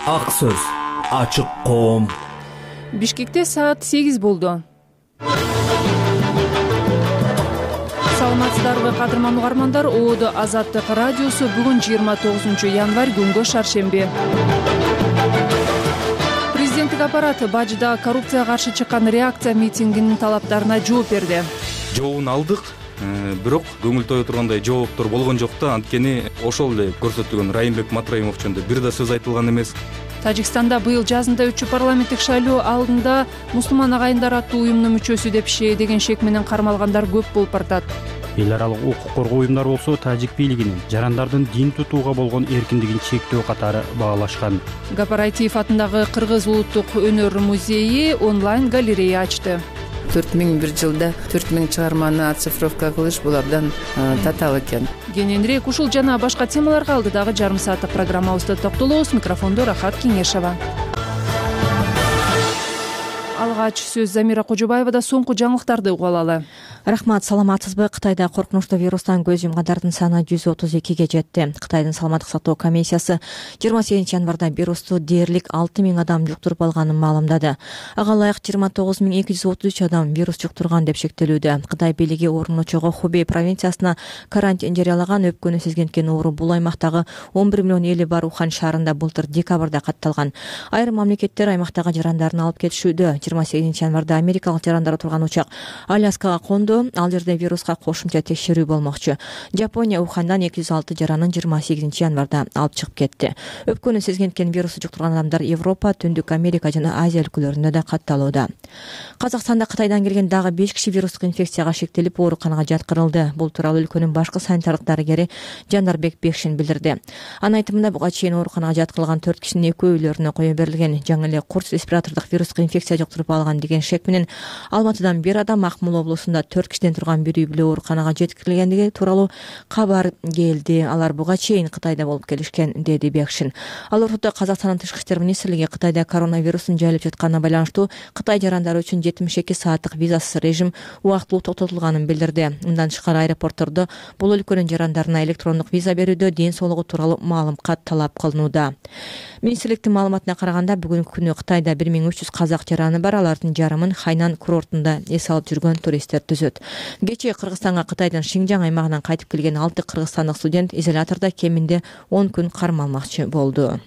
Ак сөз, ачык коом. Бишкекте саат 8 болду. Саламатсыздарбы кадырман угармандар, ООД Азаттык радиосу бүгүн 29 январь күнгө шаршемби. Президенттик аппарат Бажыда коррупцияга каршы чыккан реакция митингинин талаптарына жооп берди. Жообун алдык, бирок көңүл тое тургандай жооптор болгон жок да. Анткени ошол эле көрсөтүлгөн Райымбек Матраимов жөнүндө бир да сөз айтылган эмес. Тажикстанда быйыл жазында өтчү парламенттик шайлоо алдында мусулман агайындар аттуу уюмдун мүчөсү деп шээдеген шек менен кармалгандар көп болуп баратат. Эл аралык укук коргоо уюмдары болсо тажик бийлигинин жарандардын дин тутууга болгон эркиндигин чектөө катары баалашкан. Гапар Айтиев атындагы Кыргыз улуттук өнөр музейи онлайн галерея ачты. 4001 жылда 4000 чыгарманы оцифровка кылыш бул абдан татаал экен. Кененирээк ушул жана башка темаларга алдыдагы жарым сааттык программабызда токтолобуз. Микрофондо Рахат Кеңешева. Алгач сөз Замира Кожобаевада. Соңку жаңылыктарды угуп алалы. Рахмат, саламатсызбы? Кытайда коркунучтуу вирустан көз жумгандардын саны 132ге жетти. Кытайдын саламаттык сактоо комиссиясы 28 январда вирусту дээрлик 6000 адам жуктуруп алганын маалымдады. Ага ылайык 29233 адам вирус жуктурган деп шектелүүдө. Кытай бийлиги орун очого Хубей провинциясына карантин жарыялаган. Өпкөнү сезгенткен оору бул аймактагы 11 миллион эли бар Ухан шаарында былтыр декабрда катталган. Айрым мамлекеттер аймактагы жарандарын алып кетишүүдө. 28 январда америкалык жарандар отурган учак Аляскага конду. Ал жерде вируска кошумча текшерүү болмокчу. Жапония Ухандан 206 жаранын 28 январда алып чыгып кетти. Өпкөнү сезгенткен вирусу жуктурган адамдар Европа, Түндүк Америка жана Азия өлкөлөрүндө да катталууда. Казакстанда Кытайдан келген дагы 5 киши вирустук инфекцияга шектелип ооруканага жаткырылды. Бул тууралуу өлкөнүн башкы санитардык дарыгери Жандарбек Бекшин билдирди. Анын айтымында буга чейин ооруканага жаткырылган 4 кишинин экөө үйлөрүнө кое берилген. Жаңы эле курс респиратордук вирустук инфекция жуктуруп алган деген шек менен Алматыдан бир адам, Акмола облусунда 4 кишиден турган бир үй бүлө ооруканага жеткирилгендиги тууралуу кабар келди. Алар буга чейин Кытайда болуп келишкен, деди Бекшин. Ал ортодо Казакстандын тышкы иштер министрлиги Кытайда коронавирустун жайылып жатканына байланыштуу Кытай жарандары үчүн 72 сааттык визасыз режим убактылуу токтотулганын билдирди. Мындан тышкары аэропорттордо бул өлкөнүн жарандарына электрондук виза берүүдө ден соолугу тууралуу маалым кат талап кылынууда. Министрликтин маалыматына караганда бүгүнкү күнү Кытайда 1300 казак жараны бар. Алардын жарымын Хайнан курортунда эс алып жүргөн туристтер түзөт. Кечээ Кыргызстанга Кытайдын Шинжаң аймагынан кайтып келген 6 кыргызстандык студент изолятордо кеминде 10 күн кармалмакчы болду.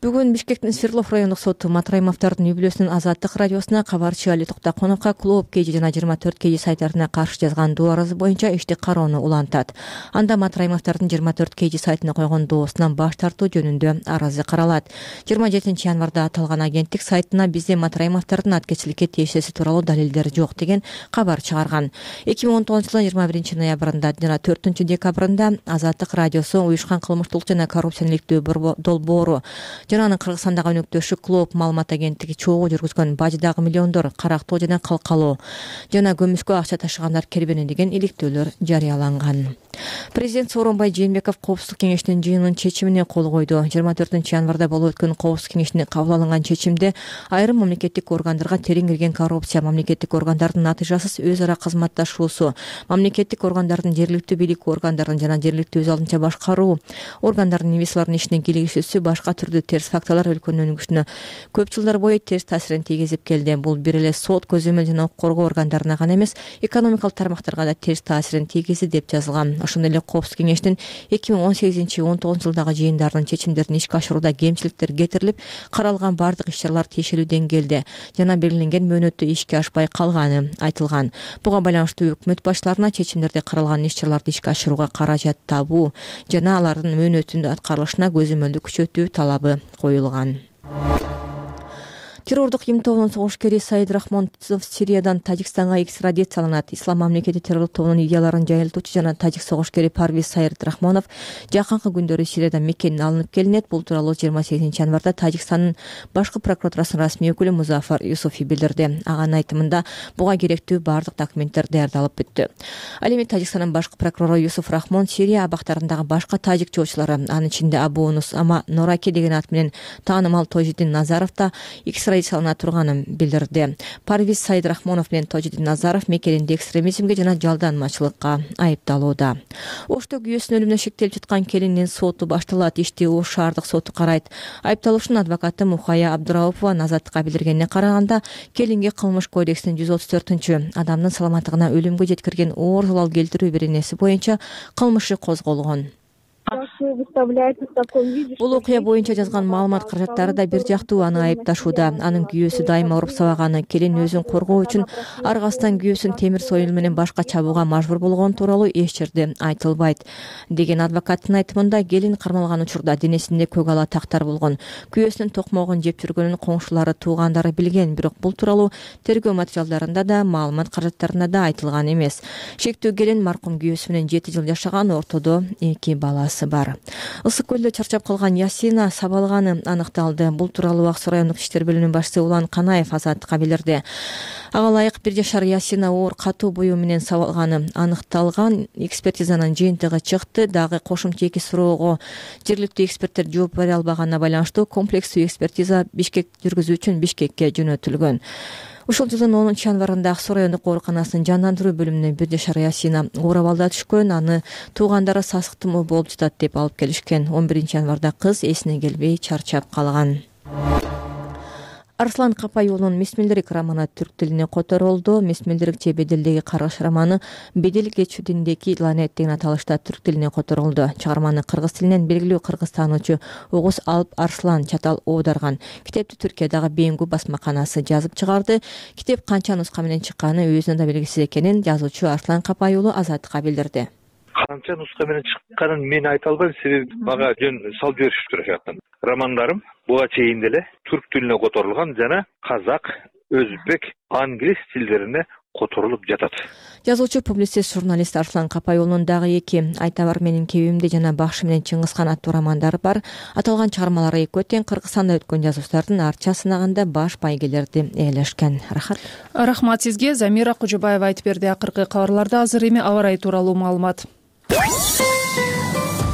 Бүгүн Бишкектин Свердлов райондук соту Матраимовдордун үй бүлөсүнүн Азаттык радиосуна кабарчы Али Токтоконовго Клооп KG жана 24 KG сайттарына каршы жазган доо арызы боюнча ишти кароону улантат. Анда Матраимовдордун 24 KG сайтына койгон доосунан баш тартуу жөнүндө арызы каралат. 27 январда аталган агенттик сайтына бизде Матраимовдордун аткечиликке тиешеси тууралуу далилдер жок деген кабар чыгарган. 2019 жылдын 21 ноябрында жана 4 декабрында Азаттык радиосу уюшкан кылмыштуулук жана коррупцияны иликтөө долбоору жана анын Кыргызстандагы өнөктөшү Клооп маалымат агенттиги чогуу жүргүзгөн Бажыдагы миллиондор карактоо жана калкалоо жана көмүскө акча ташыгандар кербени деген иликтөөлөр жарыяланган. Президент Сооронбай Жээнбеков Коопсуздук кеңешинин жыйынынын чечимине кол койду. 24 январда болуп өткөн Коопсуздук кеңешинде кабыл алынган чечимде айрым мамлекеттик органдарга терең кирген коррупция, мамлекеттик органдардын натыйжасыз өз ара кызматташуусу, мамлекеттик органдардын жергиликтүү бийлик органдарынын жана жергиликтүү өз алдынча башкаруу органдарынын инвесторлордун ишине кийлигишүүсү башка түрдүү терс факторлор өлкөнүн өнүгүшүнө көп жылдар бою терс таасирин тийгизип келди. Бул бир эле сот, көзөмөл жана укук коргоо органдарына гана эмес, экономикалык тармактарга да терс таасирин тийгизди деп жазылган. Ошондой эле Коопсуздук кеңештин 2018-19 жылдагы жыйындарынын чечимдерин ишке ашырууда кемчиликтер кетирилип, каралган бардык иш-чаралар тиешелүү деңгээлде жана белгиленген мөөнөттө ишке ашпай калганы айтылган. Буга байланыштуу өкмөт башчыларына чечимдерде каралган иш-чараларды ишке ашырууга каражат табуу жана алардын мөөнөтүнүн аткарылышына көзөмөлдү күчөтүү талабы коюлган. Террордук им тобунун согушкери Саид Рахмонов Сириядан Тажикстанга экстрадицияланат. Ислам мамлекети террорлук тобунун идеяларын жайылтуучу жана тажик согушкери Парвиз Саид Рахмонов жакынкы күндөрү Сириядан Меккеден алынып келинет. Бул тууралуу 28 январда Тажикстандын башкы прокуратурасынын расмий өкүлү Музафар Юсуфи билдирди. Анын айтымында буга керектүү бардык документтер даярдалып бүттү. Ал эми Тажикстандын башкы прокурору Юсуф Рахмон Сирия абактарындагы башка тажик чоочулары, анын ичинде Абу Унус Ама Нораки деген ат менен таанымал Тожидин Назаров да экстрадициялана турганын билдирди. Парвиз Сайдрахмонов менен Тожидин Назаров Мекелинди экстремизмге жана жалданмачылыкка айыпталууда. Ошто күйөөсүнүн өлүмүнө шектелип жаткан келиндин соту башталат. Ишти Ош шаардык соту карайт. Айыпталуучунун адвокаты Мухая Абдыраупова азаттыкка билдиргенине караганда, келинге кылмыш кодексинин 134 адамдын саламаттыгына өлүмгө жеткирген оор залал келтирүү беренеси боюнча кылмышы козголгон. Бул окуя боюнча жазган маалымат каражаттары да бир жактуу аны айыпташууда. Анын күйөөсү дайыма уруп сабаганы, келин өзүн коргоо үчүн аргасынан күйөөсүн темир сойыл менен башка чабууга мажбур болгон тууралуу эч жерде айтылбайт деген адвокаттын айтымында, келин кармалган учурда денесинде көк ала тактар болгон. Күйөөсүнүн токмогун жеп жүргөнүн коңшулары, туугандары билген, бирок бул тууралуу тергөө материалдарында да, маалымат каражаттарында да айтылган эмес. Шектүү келин маркум күйөөсү менен 7 жыл жашаган, ортодо 2 баласы бар. Ысык көлдө чарчап калган Ясина сабалганы аныкталды. Бул тууралуу Ак Суу райондук иштер бөлүмүнүн башчысы Улан Канаев азаттыкка билдирди. Ага ылайык 1 жашар Ясина оор катуу буюу менен сабалганы аныкталган. Экспертизанын жыйынтыгы чыкты. Дагы кошумча 2 суроого жергиликтүү эксперттер жооп бере албаганына байланыштуу комплекстүү экспертиза Бишкек жүргүзүү үчүн Бишкекке жөнөтүлгөн. Ушул жылдын 10 январында Ак Суу райондук ооруканасынын жандандыруу бөлүмүнө 1 жашар Ясина оор абалда түшкөн. Аны туугандары сасыктуу болуп жатат деп алып келишкен. 11 январда кыз эсине келбей чарчап калган. Арслан Капайулунун Месмелдерик романы түрк тилине которулду. Месмелдерикче беделдеги каргыш романы Бедел кечүүдүндөгү ланет деген аталышта түрк тилине которулду. Чыгарманы кыргыз тилинен белгилүү кыргыз таануучу Огуз Алп Арслан Чатал оодарган. Китепти Түркиядагы Беңгү басмаканасы жазып чыгарды. Китеп канча нуска менен чыкканы өзүнө да белгисиз экенин жазуучу Арслан Капайулу азаттыкка билдирди. Канча нуска менен чыкканын мен айта албайм, себеби мага жөн салып беришиптир ошол романдарым буга чейин деле түрк тилине которулган жана казак, өзбек, англис тилдерине которулуп жатат. Жазуучу, публицист, журналист Арслан Капайулунун дагы 2 Айта бар менин кебимде жана Бакшы менен Чыңгызхан аттуу романдары бар. Аталган чыгармалар экөө тең Кыргызстанда өткөн жазуучулардын арча сынагында баш байгелерди ээлешкен. Рахмат сизге. Замира Кожобаева айтып берди. Акыркы кабарларда азыр эми аба ырайы тууралуу маалымат.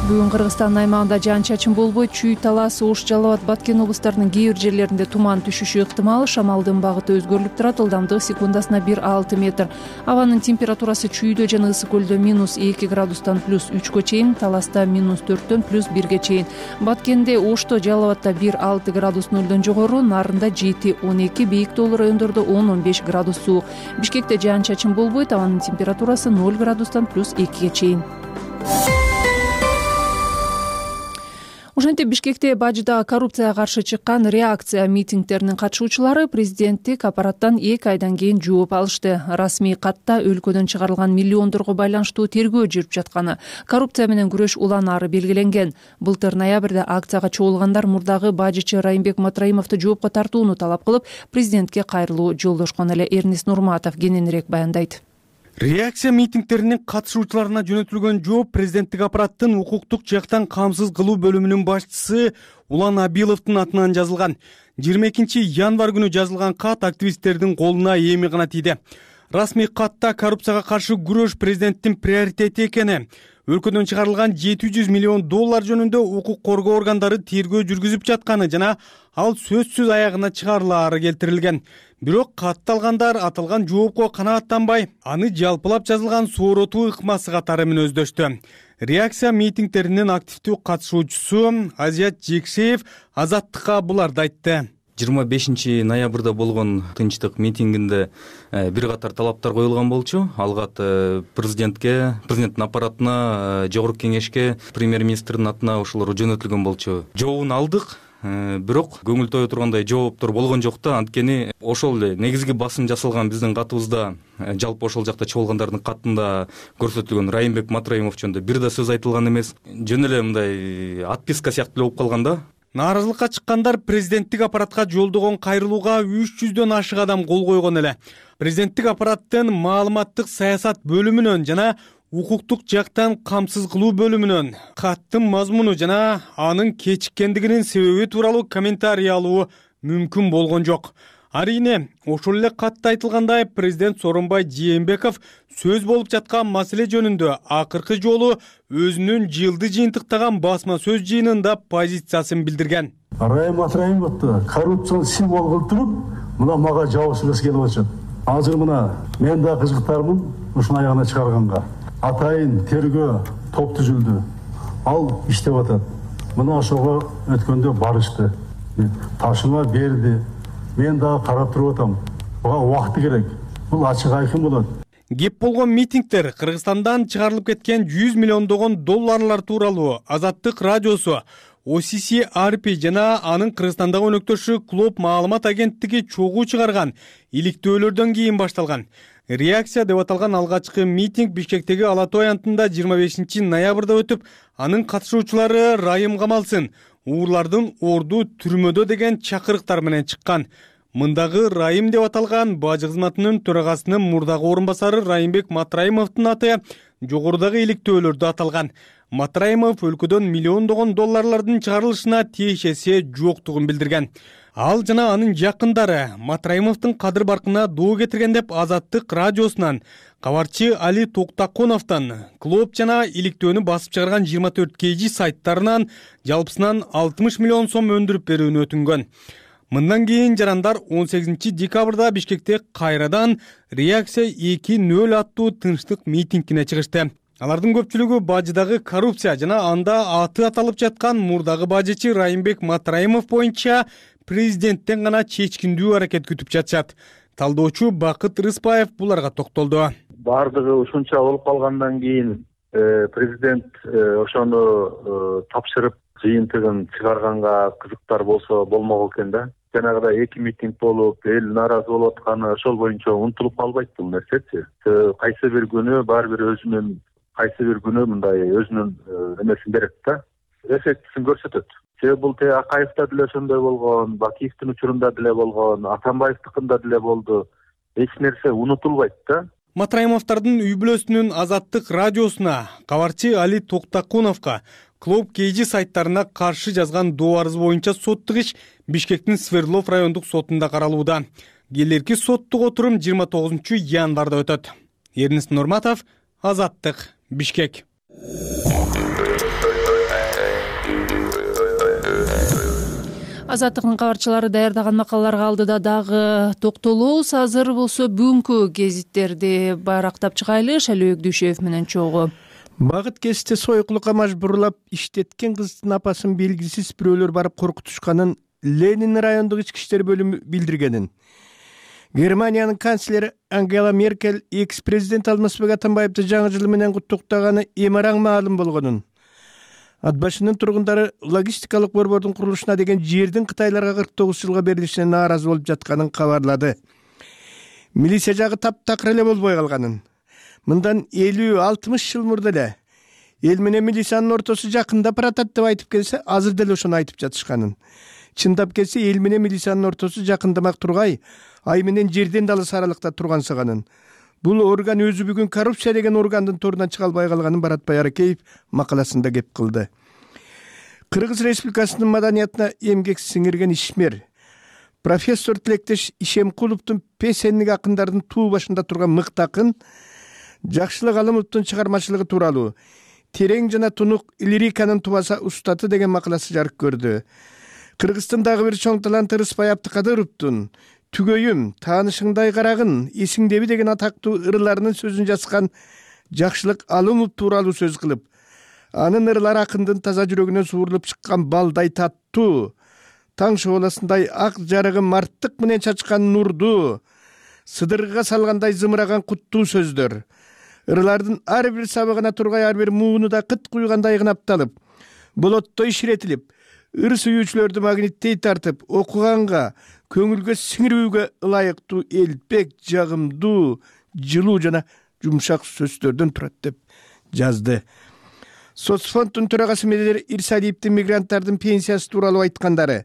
Бүгүн Кыргызстандын аймагында жаан-чачын болбойт. Чүй, Талас, Ош, Жалал Абад, Баткен облустарынын кээ бир жерлеринде туман түшүшү ыктымал. Шамалдын багыты өзгөрүлүп турат. Ылдамдыгы секундасына 1-6 метр. Абанын температурасы Чүйдө жана Ысык көлдө -2 градустан +3 чейин, Таласта -4 +1 чейин. Баткенде, Ошто, Жалал Абадта 1-6 градус нөлдөн жогору, Нарында 7-12, бийик тоолуу райондордо 10-15 градус суук. Бишкекте жаан-чачын болбойт. Абанын температурасы 0 градустан +2 чейин. Ошентип Бишкекте Бажыда коррупцияга каршы чыккан реакция митингдеринин катышуучулары президенттик аппараттан 2 айдан кийин жооп алышты. Расмий катта өлкөдөн чыгарылган миллиондорго байланыштуу тергөө жүрүп жатканы, коррупция менен күрөш уланары белгиленген. Былтыр ноябрда акцияга чогулгандар мурдагы бажычы Райымбек Матраимовду жоопко тартууну талап кылып, президентке кайрылуу жолдошкон эле. Эрнис Нурматов кененирээк баяндайт. Реакция митингдеринин катышуучуларына жөнөтүлгөн жооп президенттик аппараттын укуктук жактан камсыз кылуу бөлүмүнүн башчысы Улан Абиловдун атынан жазылган. 22 январь күнү жазылган кат активисттердин колуна эми гана тийди. Расмий катта коррупцияга каршы күрөш президенттин приоритети экени, өлкөдөн чыгарылган $700 миллион жөнүндө укук коргоо органдары тергөө жүргүзүп жатканы жана ал сөзсүз аягына чыгарылаары келтирилген. Бирок катталгандар аталган жоопко канааттанбай, аны жалпылап жазылган сооротуу ыкмасы катары мүнөздөштү. Реакция митингдеринин активдүү катышуучусу Азият Жекшеев азаттыкка буларды айтты. 25 ноябрда болгон тынчтык митингинде бир катар талаптар коюлган болчу. Алгат президенттин аппаратына, жогорку кеңешке, премьер-министрдин атына ошолор жөнөтүлгөн болчу. Жообун алдык, бирок көңүл тое тургандай жооптор болгон жок да. Анткени ошол эле негизги басым жасалган биздин катыбызда, жалпы ошол жакта чогулгандардын катында көрсөтүлгөн Райымбек Матраимов жөнүндө бир да сөз айтылган эмес. Жөн эле мындай отписка сыяктуу эле болуп калган да. Нааразылыкка чыккандар президенттик аппаратка жолдогон кайрылууга 300дөн ашык адам кол койгон эле. Президенттик аппараттын маалыматтык саясат бөлүмүнөн жана укуктук жактан камсыз кылуу бөлүмүнөн каттын мазмуну жана анын кечиккендигинин себеби тууралуу комментарий алуу мүмкүн болгон жок. Арине, ошол эле катта айтылгандай, президент Сооронбай Жээнбеков сөз болуп жаткан маселе жөнүндө акыркы жолу өзүнүн жылды жыйынтыктаган басма сөз жыйынында позициясын билдирген. Райым Атраимовду коррупцияны символ кылып туруп, мына мага жабыш эмес келип атышат. Азыр мына мен да кызыктармын ушуну аягына чыгарганга. Атайын тергөө топ түзүлдү. Ал иштеп атат. Мына ошого өткөндө барышты. Ташыма берди. Мен дагы карап туруп атам. Буга убакыт керек. Бул ачык айкын болот. Кеп болгон митингдер Кыргызстандан чыгарылып кеткен 100 миллиондогон долларлар тууралуу Азаттык радиосу, OCC ARP жана анын Кыргызстандагы өнөктөшү Клоп маалымат агенттиги чогуу чыгарган иликтөөлөрдөн кийин башталган. Реакция деп аталган алгачкы митинг Бишкектеги Ала Той аянтында 25 ноябрда өтүп, анын катышуучулары Райым камалсын, уурлардын орду түрмөдө деген чакырыктар менен чыккан. Мындагы Райым деп аталган бажы кызматынын төрагасынын мурдагы орун басары Райымбек Матраимовдун аты жогорудагы иликтөөлөрдө аталган. Матраимов өлкөдөн миллиондогон долларлардын чыгарылышына тиешеси жоктугун билдирген. Ал жана анын жакындары Матраимовдун кадыр баркына доо кетирген деп Азаттык радиосунан кабарчы Али Токтаконовдон Клоп жана иликтөөнү басып чыгарган 24 KG сайттарынан жалпысынан 60 миллион сом өндүрүп берүүнү өтүнгөн. Мындан кийин жарандар 18 декабрда Бишкекте кайрадан Реакция 2.0 аттуу тынчтык митингине чыгышты. Алардын көпчүлүгү бажыдагы коррупция жана анда аты аталып жаткан мурдагы бажычы Райымбек Матраимов боюнча президенттен гана чечкиндүү аракет күтүп жатышат. Талдоочу Бакыт Рыспаев буларга токтолду. Бардыгы ушунча болуп калгандан кийин президент ошону тапшырып жыйынтыгын чыгарганга кызыктар болсо болмок экен да. Жанагыдай эки митинг болуп, эл нааразы болуп атканы ошол боюнча унутулуп калбайт бул нерсечи. Кайсы бир күнү баары бир өзүнүн, кайсы бир күнү мындай өзүнүн эмесин берет да. Эффектисин көрсөтөт. Себеби бул Акаевда деле ошондой болгон, Бакиевдин учурунда деле болгон, Атамбаевдикинда деле болду. Эч нерсе унутулбайт да. Матраимовдордун үй бүлөсүнүн Азаттык радиосуна, кабарчы Али Токтаконовго, Клоп KG сайттарына каршы жазган доо арыз боюнча соттук иш Бишкектин Свердлов райондук сотунда каралууда. Келерки соттук отурум 29 январда өтөт. Эрнис Нурматов, Азаттык, Бишкек. Азаттыктын кабарчылары даярдаган макалаларга алдыда дагы токтолобуз. Азыр болсо бүгүнкү гезиттерди барактап чыгайлы. Шалөөк Дүйшөев менен чогуу. Багыт кесте сойкулукка мажбурлап иштеткен кыздын апасын белгисиз бирөөлөр барып коркутушканын Ленин райондук ички иштер бөлүмү билдиргенин. Германиянын канцлери Ангела Меркель экс-президент Алмазбек Атамбаевди жаңы жыл менен куттуктаганы эмараң маалым болгонун. Ат башынын тургундары логистикалык борбордун курулушуна деген жердин Кытайларга 49 жылга берилишине нааразы болуп жатканын кабарлады. Милиция жагы таптакыр эле болбой калганын. Мындан 50-60 жыл мурда эле эл менен милициянын ортосу жакындап баратат деп айтып келсе, азыр деле ошону айтып жатышканын. Чындап келсе, эл менен милициянын ортосу жакындамак тургай, ай менен жерден да алыс аралыкта тургансыганын. Бул орган өзү бүгүн коррупция деген органдын торунан чыга албай калганын Баратбай Аракеев макаласында кеп кылды. Кыргыз Республикасынын маданиятына эмгек сиңирген ишмер профессор Тилектеш Ишемкуловдун песенник акындардын туу башында турган мыкты акын Жакшылык Алымовдун чыгармачылыгы тууралуу терең жана тунук лириканын тубаса устаты деген макаласы жарык көрдү. Кыргызстандагы бир чоң таланты Рыспай Абдыкадыровдун Түгөйүм, таанышыңдай карагын, эсиңдеби деген атактуу ырларынын сөзүн жазган Жакшылык Алымов тууралуу сөз кылып, анын ырлары акындын таза жүрөгүнөн суурулуп чыккан балдай таттуу, таң шооласындай ак жарыгы марттык менен чачкан нурду, сыдыргыга салгандай зымыраган куттуу сөздөр. Ырлардын ар бир сабыгына тургай ар бир мууну да кыт куйгандай кынапталып, болоттой ширетилип, ыр сүйүүчүлөрдү магниттей тартып, окуганга, көңүлгө сиңирүүгө ылайыктуу элпек, жагымдуу, жылуу жана жумшак сөздөрдөн турат деп жазды. Соцфонддун төрагасы Медер Ирсалиевдин мигранттардын пенсиясы тууралуу айткандары,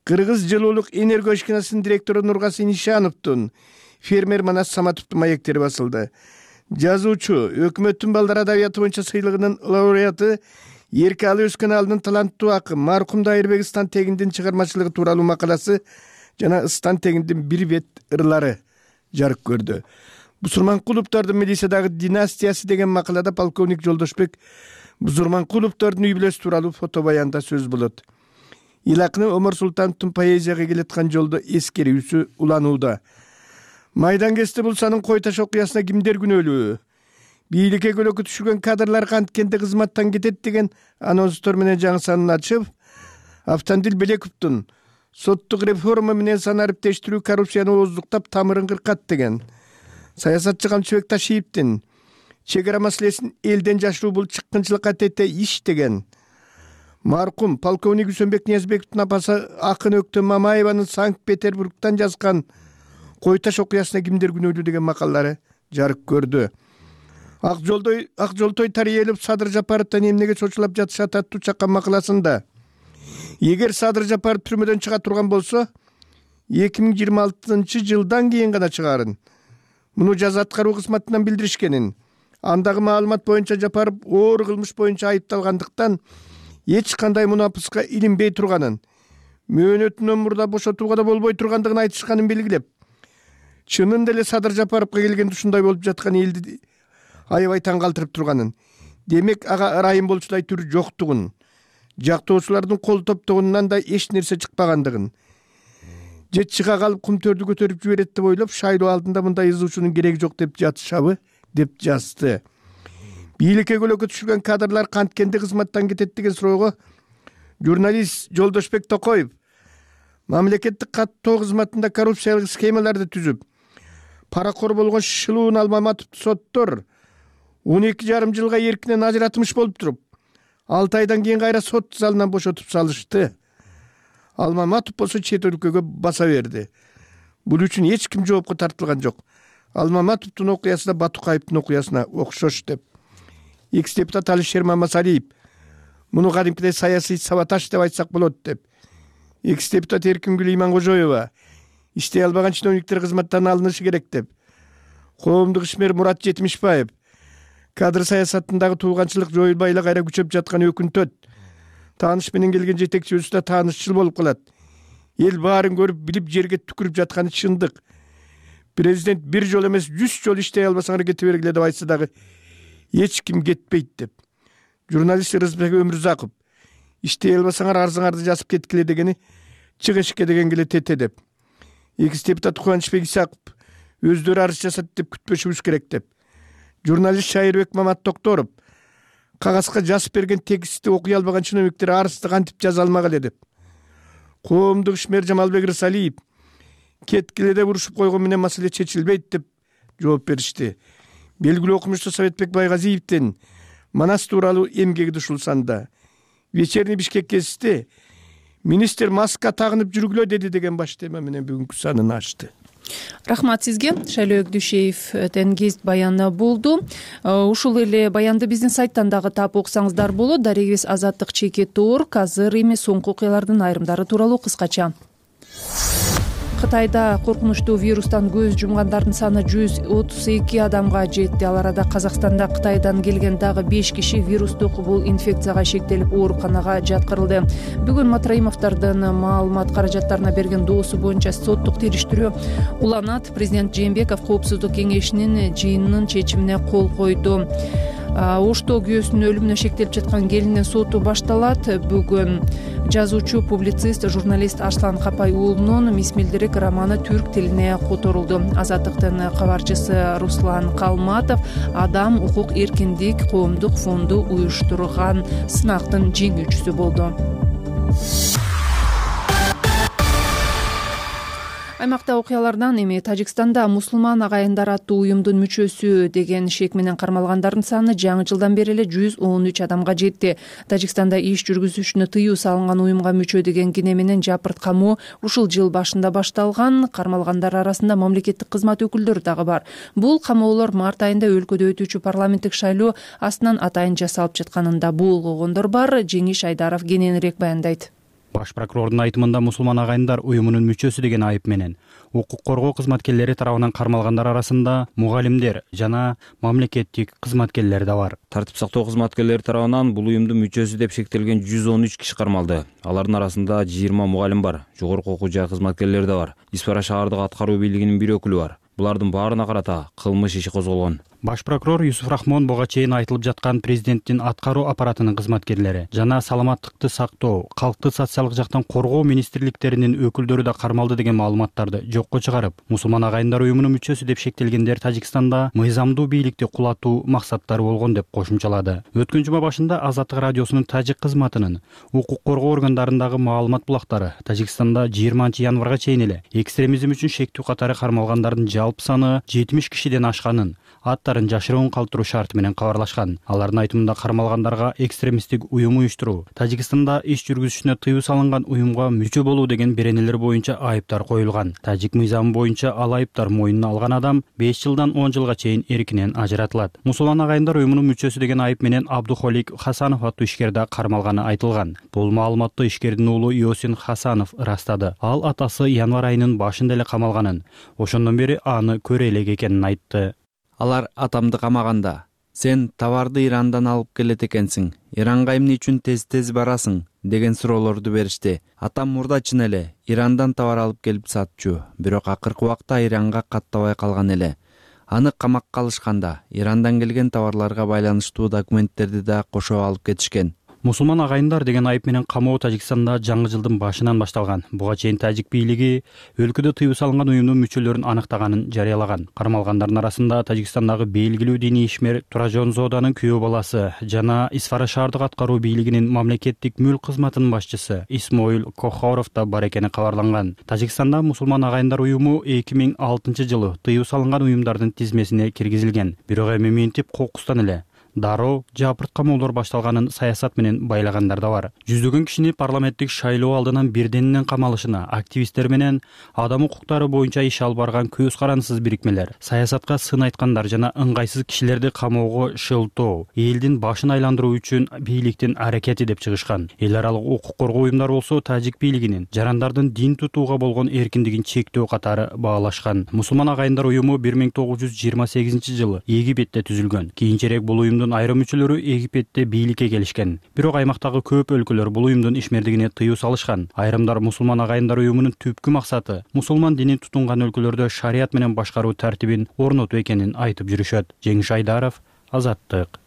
Кыргыз жылуулук энергия ишканасынын директору Нургасы Нишановдун, фермер Манас Саматовдун маектери басылды. Жазуучу, өкмөттүн балдар адабияты боюнча сыйлыгынын лауреаты, Эркалы өскөн алынын таланттуу акын маркум Дайырбек Стан Тегиндин чыгармачылыгы тууралуу макаласы жана Стан Тегиндин бир бет ырлары жарык көрдү. Бузурманкуловдордун милициядагы династиясы деген макалада полковник Жолдошбек Бузурманкуловдордун үй бүлөсү тууралуу фото баянда сөз болот. Илакны Омар Султановдун поэзияга келаткан жолдо эскерүүсү уланууда. Майдан кести булсанын кой таш окуясына кимдер күнөөлүү? Бийликке көлөкө түшүргөн кадрлар канткенде кызматтан кетет деген анонстор менен жаңы санын ачып, Автандил Белековдун соттук реформа менен сан ариптештирүү коррупцияны ооздуктап тамырын кыркат деген, саясатчы Камчыбек Ташиевдин чек ара маселесин элден жашыруу бул чыккынчылыкка тете иш деген, маркум полковник Үсөнбек Ниязбековдун апасы Акын Өктө Мамаеванын Санкт-Петербургтан жазган кой таш окуясына кимдер күнөөлүү деген макалалары жарык көрдү. Ак жолтой Тариелов Садыр Жапаровдон эмнеге чочулап жатышат аттуу чаккан макаласында эгер Садыр Жапаров түрмөдөн чыга турган болсо 2026 жылдан кийин гана чыгарын. Муну жаза аткаруу кызматынан билдиришкенин. Андагы маалымат боюнча Жапаров оор кылмыш боюнча айыпталгандыктан эч кандай мунапыска илинбей турганын, мөөнөтүнөн мурда бошотууга да болбой тургандыгын айтышканын белгилеп, чынында эле Садыр Жапаровго келгенде ушундай болуп жаткан элди аябай таң калтырып турганын, демек ага ырайым болчудай түр жоктугун, жактоочулардын кол топтогунан да эч нерсе чыкпагандыгын, же чыга калып кумтөрдү көтөрүп жиберет деп ойлоп, шайлоо алдында мындай ызуучунун кереги жок деп жатышабы деп жазды. Бийликке көлөкө түшүргөн кадрлар канткенде кызматтан кетет деген суроого журналист Жолдошбек Токоев мамлекеттик каттоо кызматында коррупциялык схемаларды түзүп, паракор болгон Шылуун Алмаматовду соттор 12,5 жылга эркинен ажыратмыш болуп туруп, 6 айдан кийин кайра сот залынан бошотуп салышты. Алмаматов болсо чет өлкөгө баса берди. Бул үчүн эч ким жоопко тартылган жок. Алмаматовдун окуясы да Батукаевдин окуясына окшош деп. Экс-депутат Алишер Мамасалиев муну кадимкидей саясий саботаж деп айтсак болот деп. Экс-депутат Эркингүл Иманкожоева иштей албаган чиновниктер кызматтан алынышы керек деп. Коомдук ишмер Мурат Жетимишбаев кадр саясатындагы тууганчылык жоюлбай эле кайра күчөп жаткан өкүнтөт. Тааныш менен келген жетекчибиз да таанышчыл болуп калат. Эл баарын көрүп билип жерге түкүрүп жатканы чындык. Президент бир жол эмес 100 жол иштей албасаңар кете бергиле деп айтса дагы эч ким кетпейт деп. Журналист Рызбек Өмүрзаков иштей албасаңар арзыңарды жазып кеткиле дегени чыгышке деген келе тете деп. Экс-депутат Кубанычбек Исаков өздөрү арыз жасат деп күтпөшүбүз керек деп. Журналист Шайырбек Мамат Токторов кагазга жазып берген текстти окуй албаган чиновниктер арызды кантип жаза алмак эле деп. Коомдук ишмер Жамалбек Рысалиев кеткиле деп урушуп койгон менен маселе чечилбейт деп жооп беришти. Белгилүү окумушту Советбек Байгазиевдин Манас тууралуу эмгеги ушулсанда вечерний Бишкек кезисте министр маска тагынып жүргүлө деди деген баш тема менен бүгүнкү санын ачты. Рахмат сизге. Шайлоо Өкдүшеевден кест баяны болду. Ушул эле баянды биздин сайттан дагы таап окусаңыздар болот. Дарегибиз Азаттык ЧК.org. Азыр эми соңку окуялардын айрымдары тууралуу кыскача. Кытайда коркунучтуу вирустан көз жумгандардын саны 132 адамга жетти. Ал арада Казакстанда Кытайдан келген дагы 5 киши вирустук бул инфекцияга шектелип ооруканага жаткырылды. Бүгүн Матраимовдордун маалымат каражаттарына берген доосу боюнча соттук териштирүү уланат. Президент Жээнбеков Коопсуздук кеңешинин жыйынынын чечимине кол койду. Ошто күйөөсүнүн өлүмүнө шектелип жаткан келиндин соту башталат. Бүгүн жазуучу, публицист, журналист Арслан Капай уулунун Мисмилдирик романы түрк тилине которулду. Азаттыктын кабарчысы Руслан Калматов Адам укук эркиндик коомдук фонду уюштурган сынактын жеңүүчүсү болду. Аймакта окуялардан эми Тажикстанда мусулман агайындар аттуу уюмдун мүчөсү деген шек менен кармалгандардын саны жаңы жылдан бери эле 113 адамга жетти. Тажикстанда иш жүргүзүшүнө тыюу салынган уюмга мүчө деген кине менен жапырт камоо ушул жыл башында башталган. Кармалгандар арасында мамлекеттик кызмат өкүлдөрү дагы бар. Бул камоолор март айында өлкөдө өтүүчү парламенттик шайлоо астынан атайын жасалып жатканында булгогондор бар. Жеңиш Айдаров кененирээк баяндайт. Баш прокурордун айтымында мусулман агайындар уюмунун мүчөсү деген айып менен укук коргоо кызматкерлери тарабынан кармалгандар арасында мугалимдер жана мамлекеттик кызматкерлер да бар. Тартип сактоо кызматкерлери тарабынан бул уюмдун мүчөсү деп шектелген 113 киши кармалды. Алардын арасында 20 мугалим бар, жогорку окуу жай кызматкерлери да бар. Испара шаардык аткаруу бийлигинин бир өкүлү бар. Булардын баарына карата кылмыш иши козголгон. Баш прокурор Юсуф Рахмон буга чейин айтылып жаткан президенттин аткаруу аппаратынын кызматкерлери жана саламаттыкты сактоо, калкты социалдык жактан коргоо министрликтеринин өкүлдөрү да кармалды деген маалыматтарды жокко чыгарып, мусулман агайындар уюмунун мүчөсү деп шектелгендер Тажикстанда мыйзамдуу бийликти кулатуу максаттары болгон деп кошумчалады. Өткөн жума башында Азаттык радиосунун тажик кызматынын укук коргоо органдарындагы маалымат булактары Тажикстанда 20-январга чейин эле экстремизм үчүн шектүү катары кармалгандардын жалпы саны 70 кишиден ашканын, аттарын жашыруун калтыруу шарты менен кабарлашкан. Алардын айтымында кармалгандарга экстремисттик уюм уюштуруу, Тажикстанда иш жүргүзүшүнө тыюу салынган уюмга мүчө болуу деген беренелер боюнча айыптар коюлган. Тажик мыйзамы боюнча ал айыптар мойнуна алган адам 5 жылдан 10 жылга чейин эркинен ажыратылат. Мусулман агайындар уюмунун мүчөсү деген айып менен Абдухолик Хасанов аттуу ишкер да кармалганы айтылган. Бул маалыматты ишкердин уулу Иосин Хасанов ырастады. Ал атасы январь айынын башында эле камалганын, ошондон бери аны көрө элек экенин айтты. Алар атамды камаганда, сен товарды Ирандан алып келет экенсиң, Иранга эмне үчүн тез барасың деген суроолорду беришти. Атам мурда чын эле Ирандан товар алып келип сатчу, бирок акыркы убакта Иранга каттабай калган эле. Аны камакка алышканда Ирандан келген товарларга байланыштуу документтерди да кошо алып кетишкен. Мусулман агайындар деген айып менен камоо Тажикстанда жаңы жылдын башынан башталган. Буга чейин тажик бийлиги өлкөдө тыюу салынган уюмдун мүчөлөрүн аныктаганын жарыялаган. Кармалгандардын арасында Тажикстандагы белгилүү диний ишмер Туражон Зоданын күйөө баласы жана Исфара шаардык аткаруу бийлигинин мамлекеттик мүлк кызматынын башчысы Исмоил Кохоров да бар экени кабарланган. Тажикстанда мусулман агайындар уюму 2006 жылы тыюу салынган уюмдардын тизмесине киргизилген. Бирок эми минтип кокустан эле дароо жапырт камоолор башталганын саясат менен байлагандар да бар. Жүздөгөн кишини парламенттик шайлоо алдынан бирденинен камалышына активисттер менен адам укуктары боюнча иш алып барган көз карансыз бирикмелер, саясатка сын айткандар жана ыңгайсыз кишилерди камоого шылтоо, элдин башын айландыруу үчүн бийликтин аракети деп чыгышкан. Эл аралык укук коргоо уюмдары болсо тажик бийлигинин жарандардын дин тутууга болгон эркиндигин чектөө катары баалашкан. Мусулман агайындар уюму 1928 жылы Египетте түзүлгөн. Кийинчерээк бул уюм айрым мүчөлөрү Египетте бийликке келишкен. Бирок аймактагы көп өлкөлөр бул уюмдун ишмердигине тыюу салышкан. Айрымдар мусулман агайындар уюмунун түпкү максаты мусулман динин тутунган өлкөлөрдө шарият менен башкаруу тартибин орнотуу экенин айтып жүрүшөт. Жеңиш Айдаров, Азаттык.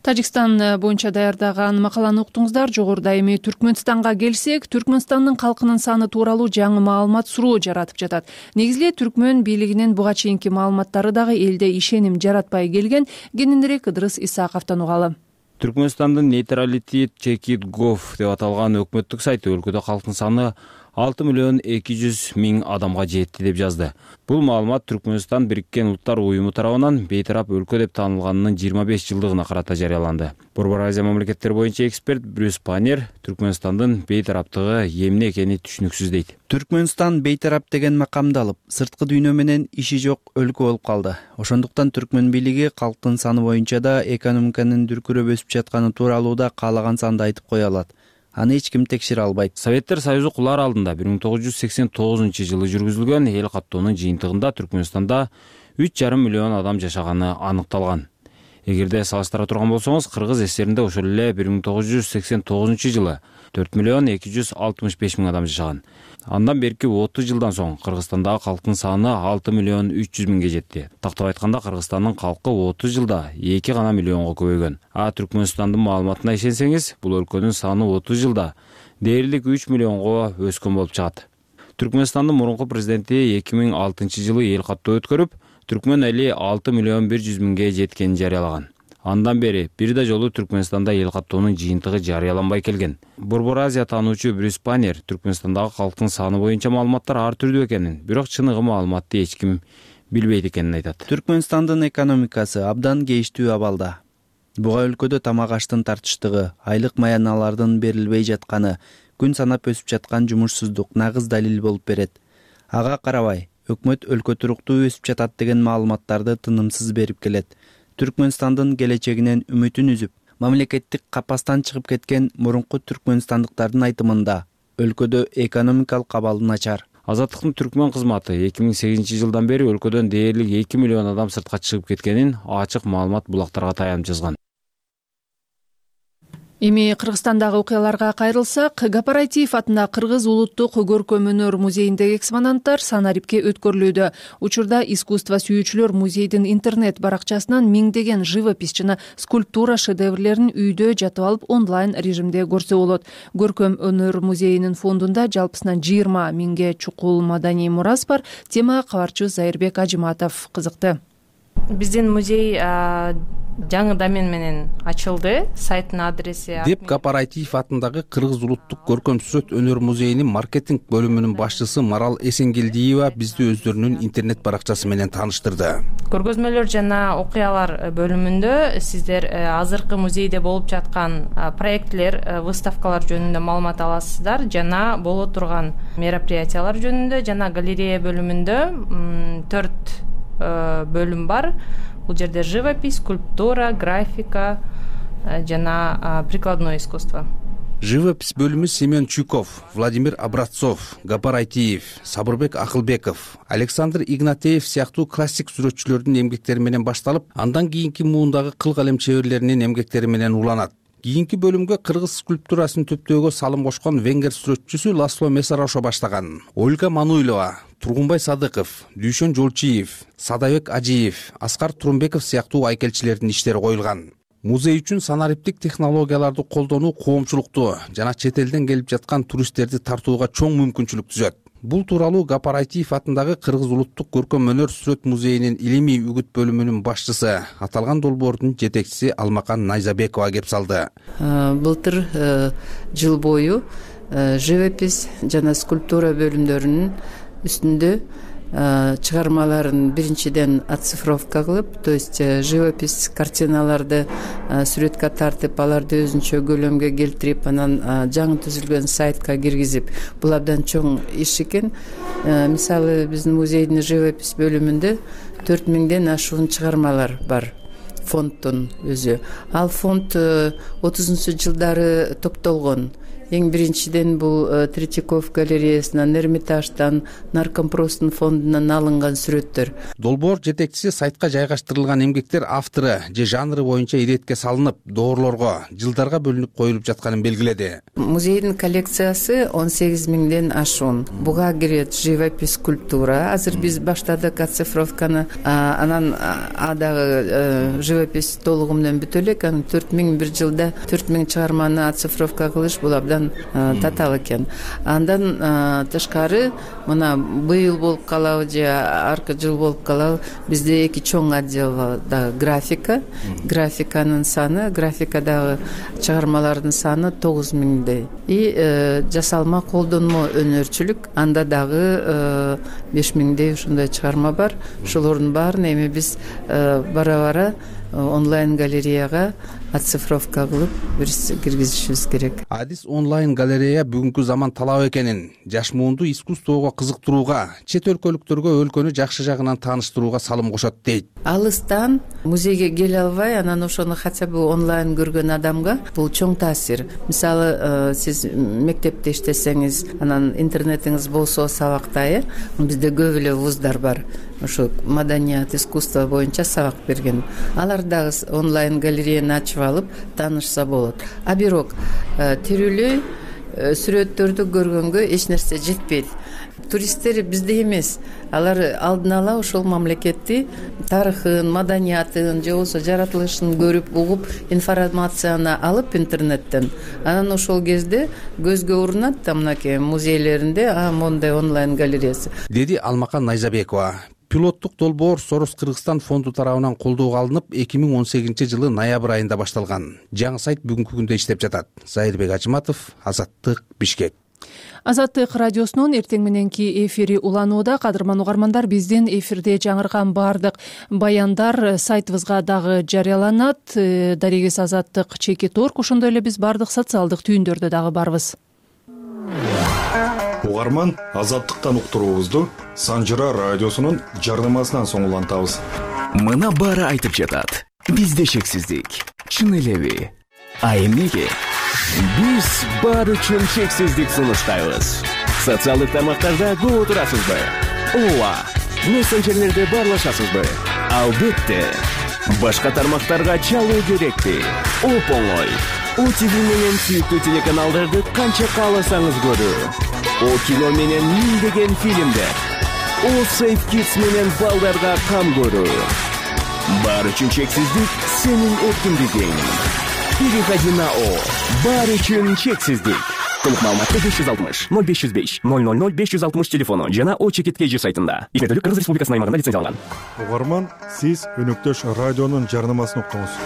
Тажикстан боюнча даярдаган макаланы уктуңуздар. Жогоруда эми Түркмөнстанга келсек, Түркмөнстандын калкынын саны тууралуу жаңы маалымат суроо жаратып жатат. Негизи түркмөн бийлигинин буга чейинки маалыматтары дагы элде ишеним жаратпай келген. Кененирээк Ыдырыс Исаковдон угалы. Түркмөнстандын neutralitycheck.gov деп аталган өкмөттүк сайты өлкөдө калктын саны 6.200.000 адамга жетти деп жазды. Бул маалымат Түркмөнстан Бириккен Улуттар уюму тарабынан бейтарап өлкө деп таанылганынын 25 жылдыгына карата жарыяланды. Борбор Азия мамлекеттери боюнча эксперт Брюс Панер Түркмөнстандын бейтараптыгы эмне экени түшүнүксүз дейт. Түркмөнстан бейтарап деген макамды алып, сырткы дүйнө менен иши жок өлкө болуп калды. Ошондуктан түркмөн бийлиги калктын саны боюнча да экономиканын дүркүрөп өсүп жатканы тууралуу да каалаган санды айтып кое алат. Аны эч ким текшере албайт. Советтер Союзу кулар алдында 1989 жылы жүргүзүлгөн эл каттоонун жыйынтыгында Түркмөнстанда 3,5 миллион адам жашаганы аныкталган. Эгерде салыштыра турган болсоңуз, Кыргыз ССРинде ошол эле 1989 жылы 4,065,000 адам жашаган. Андан берки 30 жылдан соң Кыргызстандагы калктын саны 6,300,000 жетти. Тактап айтканда, Кыргызстандын калкы 30 жылда 2 гана миллионго көбөйгөн. Түркмөнстандын маалыматына ишенсеңиз, бул өлкөнүн саны 30 жылда дээрлик 3 миллионго өскөн болуп чыгат. Түркмөнстандын мурунку президенти 2006 жылы эл каттоо өткөрүп, түркмөн эли 6,100,000 жеткенин жарыялаган. Андан бери бир да жолу Түркмөнстанда эл каттоонун жыйынтыгы жарыяланбай келген. Борбор Азия таануучу Брюс Панер Түркмөнстандагы калктын саны боюнча маалыматтар ар түрдүү экенин, бирок чыныгы маалыматты эч ким билбейт экенин айтат. Түркмөнстандын экономикасы абдан кейиштүү абалда. Буга өлкөдө тамак аштын тартыштыгы, айлык маяналардын берилбей жатканы, күн санап өсүп жаткан жумушсуздук нагыз далил болуп берет. Ага карабай, өкмөт өлкө туруктуу өсүп жатат деген маалыматтарды тынымсыз берип келет. Түркмөнстандын келечегинен үмүтүн үзүп, мамлекеттик капастан чыгып кеткен мурунку түркмөнстандыктардын айтымында өлкөдө экономикалык абал начар. Азаттыктын түркмөн кызматы 2008 жылдан бери өлкөдөн дээрлик 2 миллион адам сыртка чыгып кеткенин ачык маалымат булактарга таянып жазган. Эми Кыргызстандагы окуяларга кайрылсак, Гапар-Айтиев атындагы Кыргыз улуттук көркөм өнөр музейиндеги экспонанттар Санарипке өткөрүлүүдө. Учурда искусство сүйүүчүлөр музейдин интернет баракчасынан миңдеген живопись жана скульптура шедеврлерин үйдө жатып алып онлайн режимде көрсө болот. Көркөм өнөр музейинин фондунда жалпысынан 20 миңге чукул маданий мурас бар. Темага кабарчыбыз Зайырбек Ажыматов кызыкты. Биздин музей жаңы домен менен ачылды. Сайттын адреси деп Гапар-Айтиев атындагы Кыргыз улуттук көркөм сүрөт өнөр музейинин маркетинг бөлүмүнүн башчысы Марал Эсенгелдиева бизди өздөрүнүн интернет баракчасы менен тааныштырды. Көргөзмөлөр жана окуялар бөлүмүндө сиздер азыркы музейде болуп жаткан проектлер, выставкалар жөнүндө маалымат аласыздар, жана боло турган мероприятиялар жөнүндө, жана галерея бөлүмүндө 4 бөлүм бар. Бул жерде живопись, скульптура, графика жана прикладное искусство. Живопись бөлүмү Семен Чуйков, Владимир Образцов, Гапар-Айтиев, Сабырбек Акылбеков, Александр Игнатеев сыяктуу классик сүрөтчүлөрдүн эмгектери менен башталып, андан кийинки муундагы кыл калем чеберлеринин эмгектери менен уланат. Кийинки бөлүмгө кыргыз скульптурасын төптөөгө салым кошкон венгер сүрөтчүсү Ласло Месарошо баштаган. Ольга Мануйлова, Тургунбай Садыков, Дүйшөн Жолчиев, Садабек Ажиев, Аскар Турумбеков сыяктуу айкелчилердин иштери коюлган. Музей үчүн санариптик технологияларды колдонуу коомчулукту жана чет элден келип жаткан туристтерди тартууга чоң мүмкүнчүлүк түзөт. Бул тууралуу Гапар-Айтиев атындагы Кыргыз улуттук көркөм өнөр сүрөт музейинин илимий үгүт бөлүмүнүн башчысы, аталган долбоордун жетекчиси Алмакан Найзабекова кеп салды. Былтыр жыл бою живопись жана скульптура бөлүмдөрүнүн үстүндө чыгармаларын биринчиден оцифровка кылып, то есть живопись картиналарды сүрөткө тартып, аларды өзүнчө көлөмгө келтирип, анан жаңы түзүлгөн сайтка киргизип, бул абдан чоң иш экен. Мисалы, биздин музейдин живопись бөлүмүндө 4000ден ашуун чыгармалар бар. Фонддун өзү. Ал фонд 30-жылдары топтолгон. Эң биринчиден бул Третьяков галереясынан, Эрмитаждан, Наркомпростун фондунан алынган сүрөттөр. Долбоор жетекчиси сайтка жайгаштырылган эмгектер автору же жанры боюнча иретке салынып, доорлорго, жылдарга бөлүнүп коюлуп жатканын белгиледи. Музейдин коллекциясы 18.000ден ашуун. Буга кирет живопись, скульптура. Азыр биз баштадык оцифровканы, анан дагы живопись толугу менен бүтө элек. 4000 бир жылда 4000 чыгарманы оцифровка кылыш бул абдан татаал экен. Андан тышкары мына быйыл болуп калабы же аркы жыл болуп калабы, бизде эки чоң отдел да графика. Графиканын саны, графикадагы чыгармалардын саны 9000дей. И жасалма колдонмо өнөрчүлүк, анда дагы 5000дей ушундай чыгарма бар. Ошолордун баарын эми биз бара-бара онлайн галереяга оцифровка кылып киргизишибиз керек. Адис онлайн галерея бүгүнкү заман талап экенин, жаш муунду искусствого кызыктырууга, чет өлкөлүктөргө өлкөнү жакшы жагынан тааныштырууга салым кошот дейт. Алыстан музейге келе албай, анан ошону хотя бы онлайн көргөн адамга бул чоң таасир. Мисалы, сиз мектепте иштесеңиз, анан интернетиңиз болсо сабакта, бизде көп эле вуздар бар. Ошо маданият, искусство боюнча сабак берген. Алар дагы онлайн галереяны ачып алып таанышса болот. А бирок тирүүлөй сүрөттөрдү көргөнгө эч нерсе жетпейт. Туристтер бизде эмес. Алар алдын ала ошол мамлекетти тарыхын, маданиятын, же болбосо жаратылышын көрүп, угуп, информацияны алып интернеттен. Анан ошол кезде көзгө урунат да мынакей музейлеринде мондай онлайн галереясы. Деди Алмакан Найзабекова. Пилоттук долбоор Сорос Кыргызстан фонду тарабынан колдоого алынып, 2018-жылы ноябрь айында башталган. Жаңы сайт бүгүнкү күндө иштеп жатат. Зайырбек Ажыматов, Азаттык, Бишкек. Азаттык радиосунун эртең мененки эфири уланууда. Кадырман угармандар, биздин эфирде жаңырган баардык баяндар сайтыбызга дагы жарыяланат. Дарегес Азаттык /Org, ошондой эле биз баардык социалдык түйүндөрдө дагы барбыз. Угарман, Азаттыктан уктуруубузду Санжыра радиосунун жарнамасынан соң улантабыз. Мына баары айтып жатат. Бизде шексиздик. Чын элеби? А эмнеге? Биз баары үчүн чексиздик сунуштайбыз. Социалдык тармактарда көп отурасызбы? Ооба. Мессенджерлерде баарлашасызбы? Албетте. Башка тармактарга чалуу керекпи? Оп оңой. ОТВ менен сүйүктүү телеканалдарды канча кааласаңыз көрүү. О кино менен миңдеген фильмдер. О Safe Kids менен балдарга кам көрүү. Баары үчүн чексиздик сенин эркиндигиң. Переходи на О. Баары үчүн чексиздик. Толук маалыматты 560 0505 000 560 телефону жана ОЧКТКЖ сайтында. Измердүүлүк Кыргыз Республикасынын аймагында лицензияланган. Угарман, сиз өнөктөш радионун жарнамасын уктуңуз.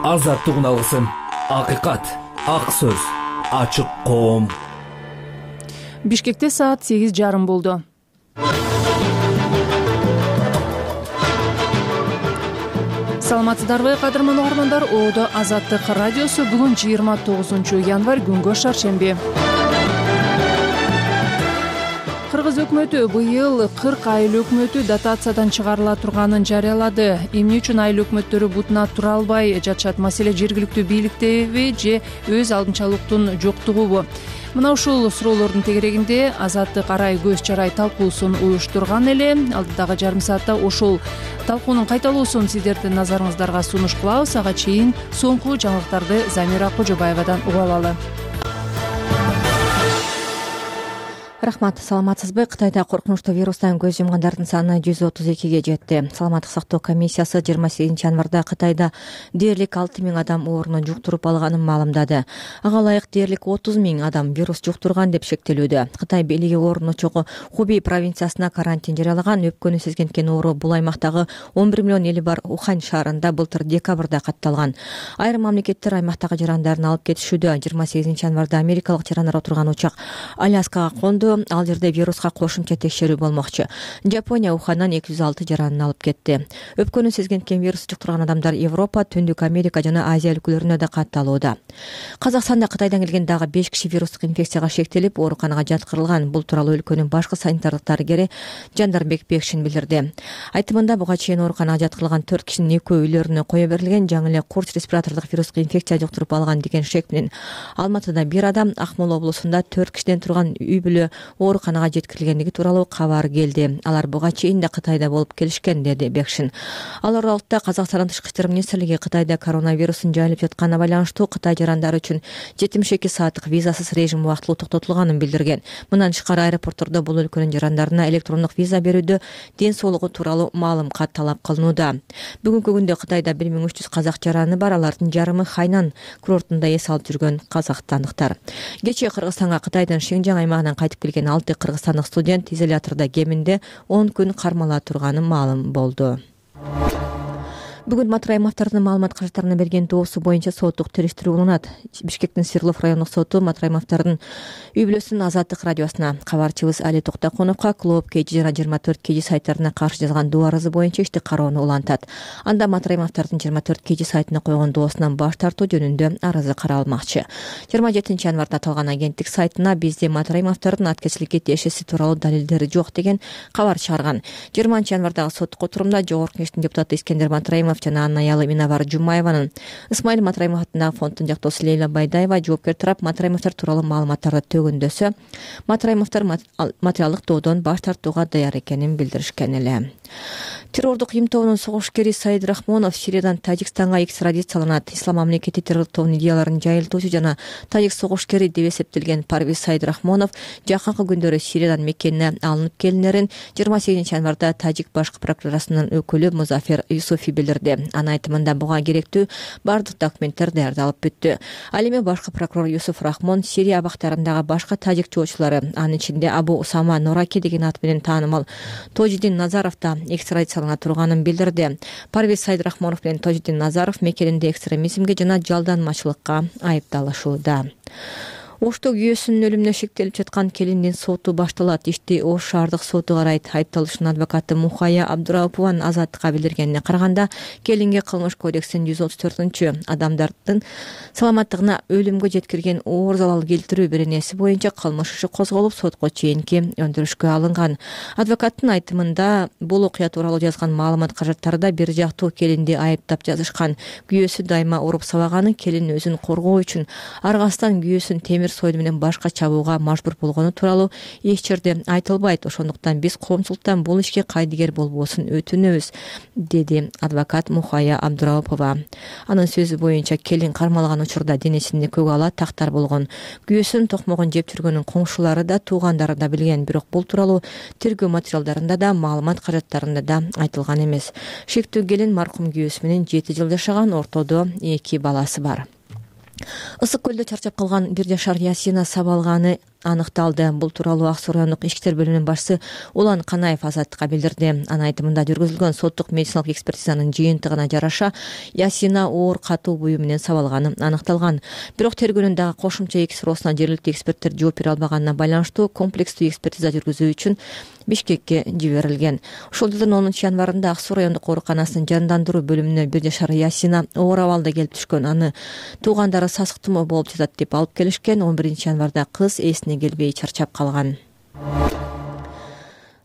Азаттыгын алгысым, акыйкат, ак сөз, ачык коом. Бишкекте саат 8:30 болду. Саламатсыздарбы, кадырман угармандар? Оодо Азаттык радиосу бүгүн 29 январь күнгө шаршемби. Кыргыз өкмөтү быйыл 40 айыл өкмөтү дотациядан чыгарыла турганын жарыялады. Эмне үчүн айыл өкмөттөрү бутуна тура албай жатышат? Маселе жергиликтүү бийликтеби же өз алдынчалыктын жоктугубу? Мына ушул суроолордун тегерегинде Азаттык арай көз чарай талкуусун уюштурган эле. Алдыдагы жарым саатта ошол талкуунун кайталоосун сиздердин назарыңыздарга сунуш кылабыз. Ага чейин соңку жаңылыктарды Замира Кожобаевадан угуп алалы. Рахмат, саламатсызбы? Кытайда коркунучтуу вирустан көз жумгандардын саны 132ге жетти. Саламаттык сактоо комиссиясы 28 январда Кытайда дээрлик 6000 адам оорууну жуктуруп алганын маалымдады. Ага ылайык дээрлик 30 000 адам вирус жуктурган деп шектелүүдө. Кытай бийлиги оорунун чогу Хубей провинциясына карантин жарыялаган. Өпкөнү сезгенткен оору бул аймактагы 11 миллион эли бар Ухань шаарында былтыр декабрда катталган. Айрым мамлекеттер аймактагы жарандарын алып кетишүүдө. 28 январда америкалык жарандар отурган учак Аляскага конду. Ал жерде вируска кошумча текшерүү болмокчу. Жапония Ухандан 206 жаранын алып кетти. Өпкөнү сезгенткен вирус жуктурган адамдар Европа, Түндүк Америка жана Азия өлкөлөрүнө да катталууда. Казакстанда Кытайдан келген дагы 5 киши вирустук инфекцияга шектелип, ооруканага жаткырылган. Бул тууралуу өлкөнүн башкы санитардык дарыгери Жандарбек Бекшин билдирди. Айтымында буга чейин ооруканага жаткырылган 4 кишинин экөө үйлөрүнө кое берилген, жаңы эле курч респиратордук вирустук инфекция жуктуруп алган деген шек менен. Алматыда 1 адам, Акмола облусунда 4 кишиден турган үй бүлө ооруканага жеткирилгендиги тууралуу кабар келди. Алар буга чейин да Кытайда болуп келишкен, деди Бекшин. Ал аралыкта Казакстандын Тышкы иштер министрлиги Кытайда коронавирустун жайылып жатканына байланыштуу Кытай жарандары үчүн 72 сааттык визасыз режим убактылуу токтотулганын билдирген. Мындан тышкары аэропорттордо бул өлкөнүн жарандарына электрондук виза берүүдө ден соолугу тууралуу маалымат талап кылынууда. Бүгүнкү күндө Кытайда 1300 казак жараны бар. Алардын жарымы Хайнан курортунда эс алып жүргөн казакстандыктар. Кечээ Кыргызстанга Кытайдын Шинжаң аймагынан кайтып келген 6 кыргызстандык студент изолятордо кеминде 10 күн кармала турганы маалым болду. Бүгүн Матыр Аймактардын маалымат каражаттарына берген доосу боюнча соттук териштирүү уланат. Бишкектин Свердлов райондук соту Матыр Аймактардын үй бүлөсүнүн Азаттык радиосуна, кабарчыбыз Али Токтоконовго Клуб KG жана 24 KG сайттарына каршы жазган доо арызы боюнча ишти кароону улантат. Анда Матыр Аймактардын 24 KG сайтына койгон доосунан баш тартуу жөнүндө арызы каралмакчы. 27 январда аталган агенттик сайтына бизде Матыр Аймактардын аткезиликке тиешеси тууралуу далилдери жок деген кабар чыгарган. 20 январдагы соттук отурумда Жогорку Кеңештин депутаты Искендер Матраимов жана анын аялы Минабар Жумаеванын Исмаил Матраимов атындагы фонддун жактоосу Лейла Байдаева жоопкер тарап Матраимовдор тууралуу маалыматтарды төгүндөсө, Матраимовдор материалдык доодон баш тартууга даяр экенин билдиришкен эле. Террордук имтоонун согушкери Саид Рахмонов Сириядан Тажикстанга экстрадицияланат. Ислам мамлекети террордук идеяларын жайылтуучу жана тажик согушкери деп эсептелген Парвиз Саид Рахмонов жакынкы күндөрү Сириядан Меккене алынып келинерин 28 январда тажик башкы прокуратурасынын өкүлү Музафер Юсуфи билдирди. Анын айтымында буга керектүү бардык документтер даярдалып бүттү. Ал эми башкы прокурор Юсуф Рахмон Сирия абактарындагы башка тажик жоочулары, анын ичинде Абу Усама Нораки деген ат менен таанымал Тожидин Назаров да экстрадициялана турганын билдирди. Парвиз Саид Рахмонов менен Тожидин Назаров Меккеде экстремизмге жана жалданмачылыкка айыпталышууда. Ошто күйөөсүнүн өлүмүнө шектелип жаткан келиндин соту башталат. Ишти Ош шаардык соту карайт. Айыпталуучунун адвокаты Мухая Абдурапованын Азаттыкка билдиргенине караганда, келинге кылмыш кодексинин 134-адамдардын саламаттыгына өлүмгө жеткирген оор залал келтирүү беренеси боюнча кылмыш иши козголуп, сотко чейинки өндүрүшкө алынган. Адвокаттын айтымында бул окуя тууралуу жазган маалымат каражаттарда бир жактуу келинди айыптап жазышкан. Күйөөсү дайыма уруп сабаганын, келин өзүн коргоо үчүн аргасынан күйөөсүн темир Жандемир Сойду менен башка чабууга мажбур болгону тууралуу эч жерде айтылбайт. Ошондуктан биз коомчулуктан бул ишке кайдыгер болбосун өтүнөбүз, деди адвокат Мухая Абдурапова. Анын сөзү боюнча келин кармалган учурда денесинде көк ала тактар болгон. Күйөөсүнүн токмогун жеп жүргөнүн коңшулары да, туугандары да билген, бирок бул тууралуу тергөө материалдарында да, маалымат каражаттарында да айтылган эмес. Шектүү келин маркум күйөөсү менен 7 жыл жашаган, ортодо 2 баласы бар. Ысык көлдө чарчап калган 1 жашар Ясина сабалганы аныкталды. Бул тууралуу Ак Суу райондук ички иштер бөлүмүнүн башчысы Улан Канаев Азаттыкка билдирди. Анын айтымында жүргүзүлгөн соттук медициналык экспертизанын жыйынтыгына жараша Ясина оор катуу буюу менен сабалганы аныкталган. Бирок тергөөнүн дагы кошумча 2 суроосуна жергиликтүү эксперттер жооп бере албаганына байланыштуу комплекстүү экспертиза жүргүзүү үчүн Бишкекке жиберилген. Ушул жылдын 10 январында Ак Суу райондук ооруканасынын жандандыруу бөлүмүнө 1 жашар Ясина оор абалда келип түшкөн. Аны туугандары сасык тумоо болуп жатат деп алып келишкен. 11 январда кыз эсине келбей чарчап калган.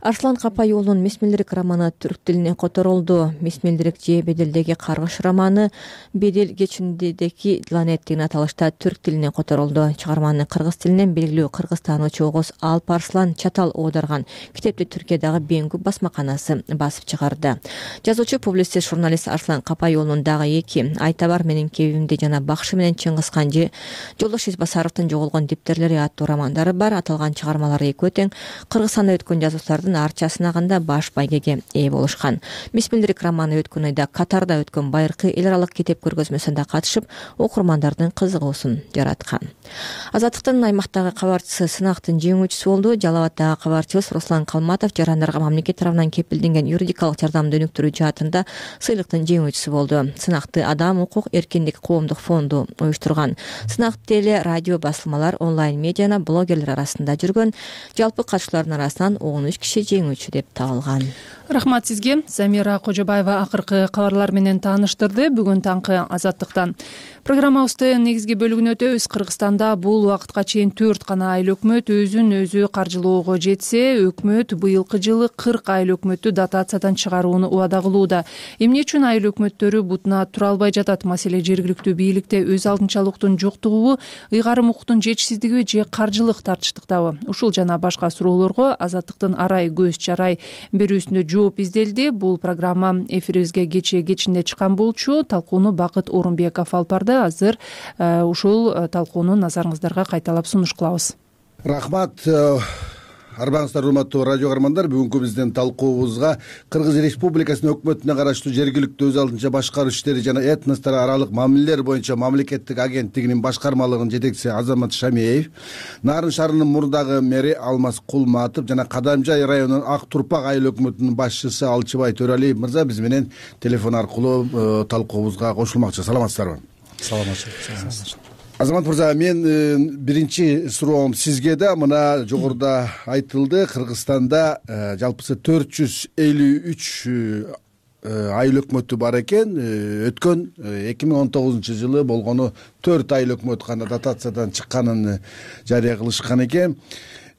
Арслан Капай уулунун Мисмилдирик романы түрк тилине которулду. Мисмилдирик же Беделдеги каргыш романы Бедел кечиндеги Ланет деген аталышта түрк тилине которулду. Чыгарманы кыргыз тилинен белгилүү кыргызстанчы Огоз Алпарслан Чатал оодарган. Китепти Түркиядагы Бенгу басмаканасы басып чыгарды. Жазуучу, публицист, журналист Арслан Капай уулунун дагы 2 Айтабар менин кебимде жана Бакшы менен Чыңгызхан же Жолдош Исбасаровдун жоголгон диптерлери аттуу романдары бар. Аталган чыгармалары экөө тең Кыргызстанда өткөн жазуучулардын арча сынагында баш байгеге ээ болушкан. Мисмилдирик романы өткөн айда Катарда өткөн байыркы эл аралык китеп көргөзмөсүндө катышып, окурмандардын кызыгуусун жараткан. Азаттыктын аймактагы кабарчысы сынактын жеңүүчүсү болду. Жалал Абаддагы кабарчыбыз Руслан Калматов жарандарга мамлекет тарабынан кепилденген юридикалык жардамды өнүктүрүү жаатында сыйлыктын жеңүүчүсү болду. Сынакты Адам укук эркиндик коомдук фонду уюштурган. Сынак теле, радио басылмалар, онлайн медиана, блогерлер арасында жүргөн. Жалпы катышуулардын арасынан 13 киши жеңүүчү деп табылган. Рахмат сизге. Замира Кожобаева акыркы кабарлар менен тааныштырды. Бүгүн таңкы Азаттыктан. Программабыздын негизги бөлүгүнө өтөбүз. Кыргызстанда бул убакытка чейин 4 гана айыл өкмөт өзүн өзү каржылоого жетсе, өкмөт быйылкы жылы 40 айыл өкмөттү дотациядан чыгарууну убада кылууда. Эмне үчүн айыл өкмөттөрү бутуна тура албай жатат? Маселе жергиликтүү бийликте өз алдынчалыктын жоктугубу, ыйгарым укуктун жетишсиздиги же каржылык тартыштыктабы? Ушул жана башка суроолорго Азаттыктын арай көз чарай берүүсүндө жооп изделди. Бул программа эфирибизге кечинде чыккан болчу. Талкууну Бакыт Орунбеков алып барды. Азыр ушул талкууну назарыңыздарга кайталап сунуш кылабыз. Рахмат. Арбаңыздар, урматтуу радио каармандар. Бүгүнкү биздин талкуубузга Кыргыз Республикасынын өкмөтүнө караштуу жергиликтүү өз алдынча башкаруу иштери жана этностор аралык мамилелер боюнча мамлекеттик агенттигинин башкармалыгынын жетекчиси Азамат Шамиев, Нарын шаарынын мурдагы мэри Алмаз Кулматов жана Кадамжай районунун Ак Турпак айыл өкмөтүнүн башчысы Алчыбай Төралиев мырза биз менен телефон аркылуу талкуубузга кошулмакчы. Саламатсыздарбы? Саламатчылык. Азамат мырза, мен биринчи суроом сизге да. Мына жогоруда айтылды, Кыргызстанда жалпысы 453 айыл өкмөтү бар экен. Өткөн 2019 жылы болгону 4 айыл өкмөт гана дотациядан чыкканын жарыя кылышкан экен.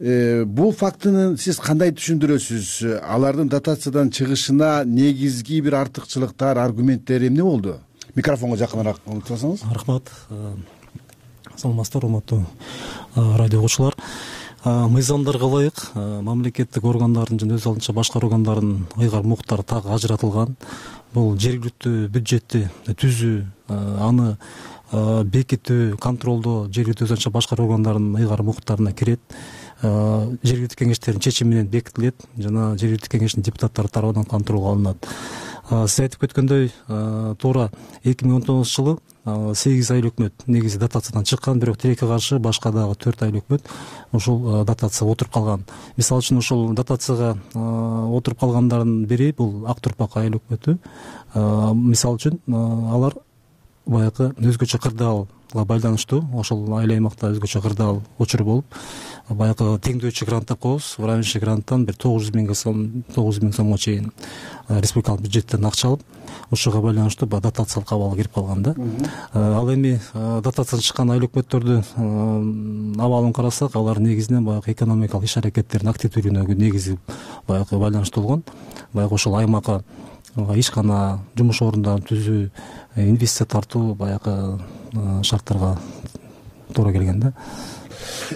Бул фактыны сиз кандай түшүндүрөсүз? Алардын дотациядан чыгышына негизги бир артыкчылыктар, аргументтери эмне болду? Микрофонго жакыныраак отурсаңыз. Рахмат. Саламатсыздар, урматтуу радио угуучулар. Мыйзамдарга ылайык мамлекеттик органдардын жана өз алдынча башкаруу органдарынын ыйгарым укуктары так ажыратылган. Бул жергиликтүү бюджетти түзүү, аны бекитүү, контролдоо жергиликтүү өз алдынча башкаруу органдарынын ыйгарым укуктарына кирет. Жергиликтүү кеңештердин чечими менен бекитилет жана жергиликтүү кеңештин депутаттары тарабынан контролго алынат. Сиз айтып кеткөндөй, туура 2019 жылы 8 айыл өкмөт негизи дотациядан чыккан, бирок тилекке каршы башка дагы 4 айыл өкмөт ушул дотацияга отуруп калган. Мисалы үчүн ушул дотацияга отуруп калгандардын бири бул Ак Турпак айыл өкмөтү. Мисалы үчүн алар баягы өзгөчө кырдаалга байланыштуу, ошол айыл аймакта өзгөчө кырдаал учуру болуп, баягы теңдөөчү грант деп коебуз, уравнивающий гранттан бир 900 миң сомго чейин республикалык бюджеттен акча алып, ошого байланыштуу дотациялык абалга кирип калган да. Ал эми дотациядан чыккан айыл өкмөттөрдүн абалын карасак, алар негизинен баягы экономикалык иш аракеттердин активдүүлүгүнө негизи баягы байланыштуу болгон. Баягы ошол аймакка ишкана, жумуш орундарын түзүү, инвестиция тартуу баягы шарттарга туура келген да.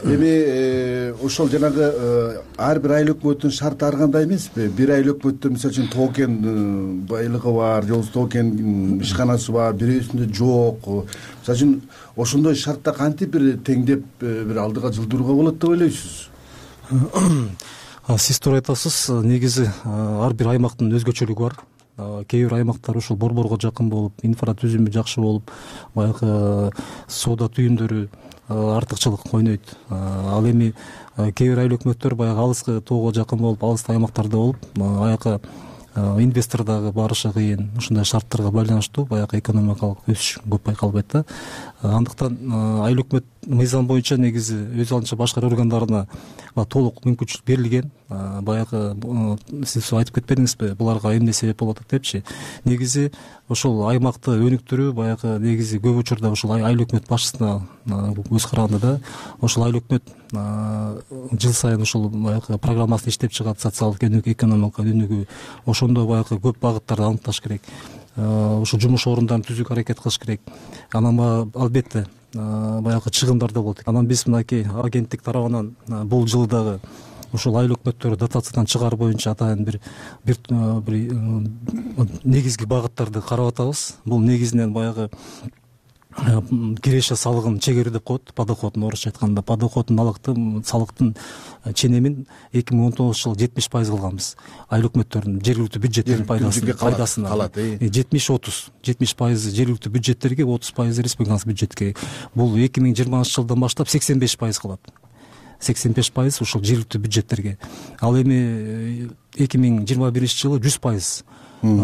Эми ошол жанагы ар бир айыл өкмөттүн шарты ар кандай эмеспи? Бир айыл өкмөттө мисалы үчүн токен байлыгы бар, же болбосо токен ишканасы бар, бирөөсүндө жок. Мисалы үчүн ошондой шартта кантип бир теңдеп бир алдыга жылдырууга болот деп ойлойсуз? Сиз туура айтасыз. Негизи ар бир аймактын өзгөчөлүгү бар. Кээ бир аймактар ушул борборго жакын болуп, инфратүзүмү жакшы болуп, баягы соода түйүндөрү артыкчылык ойнойт. Ал эми кээ бир айыл өкмөттөр баягы алыскы тоого жакын болуп, алыскы аймактарда болуп, аяка инвестор дагы барышы кыйын. Ушундай шарттарга байланыштуу баягы экономикалык өсүш көп байкалбайт да. Андыктан айыл өкмөт мыйзам боюнча негизи өз алдынча башкаруу органдарына толук мүмкүнчүлүк берилген. Баягы сиз айтып кетпедиңизби, буларга эмне себеп болуп атат депчи. Негизи ошол аймакты өнүктүрүү баягы негизи көп учурда ошол айыл өкмөт башчысына көз караганда да, ошол айыл өкмөт жыл сайын ушул баягы программасын иштеп чыгат, социалдык өнүгүү, экономикалык өнүгүү. Ошондо баягы көп багыттарды аныкташ керек. Ушул жумуш орундарын түзүүгө аракет кылыш керек. Анан албетте баягы чыгымдар да болот. Анан биз мынакей агенттик тарабынан бул жылы дагы ушул айыл өкмөттөрү дотациядан чыгаруу боюнча атайын бир негизги багыттарды карап атабыз. Бул негизинен баягы киреше салыгын чегерүү деп коет, подоходун орусча айтканда. Подоходун салыктын ченемин 2019 жылы 70% кылганбыз. Айыл өкмөттөрүнүн жергиликтүү бюджеттеринин пайдасына 70-30. 70% жергиликтүү бюджеттерге, 30% республикалык бюджетке. Бул 2020 жылдан баштап 85% кылат. 85% ушул жергиликтүү бюджеттерге. Ал эми 2021 жылы 100%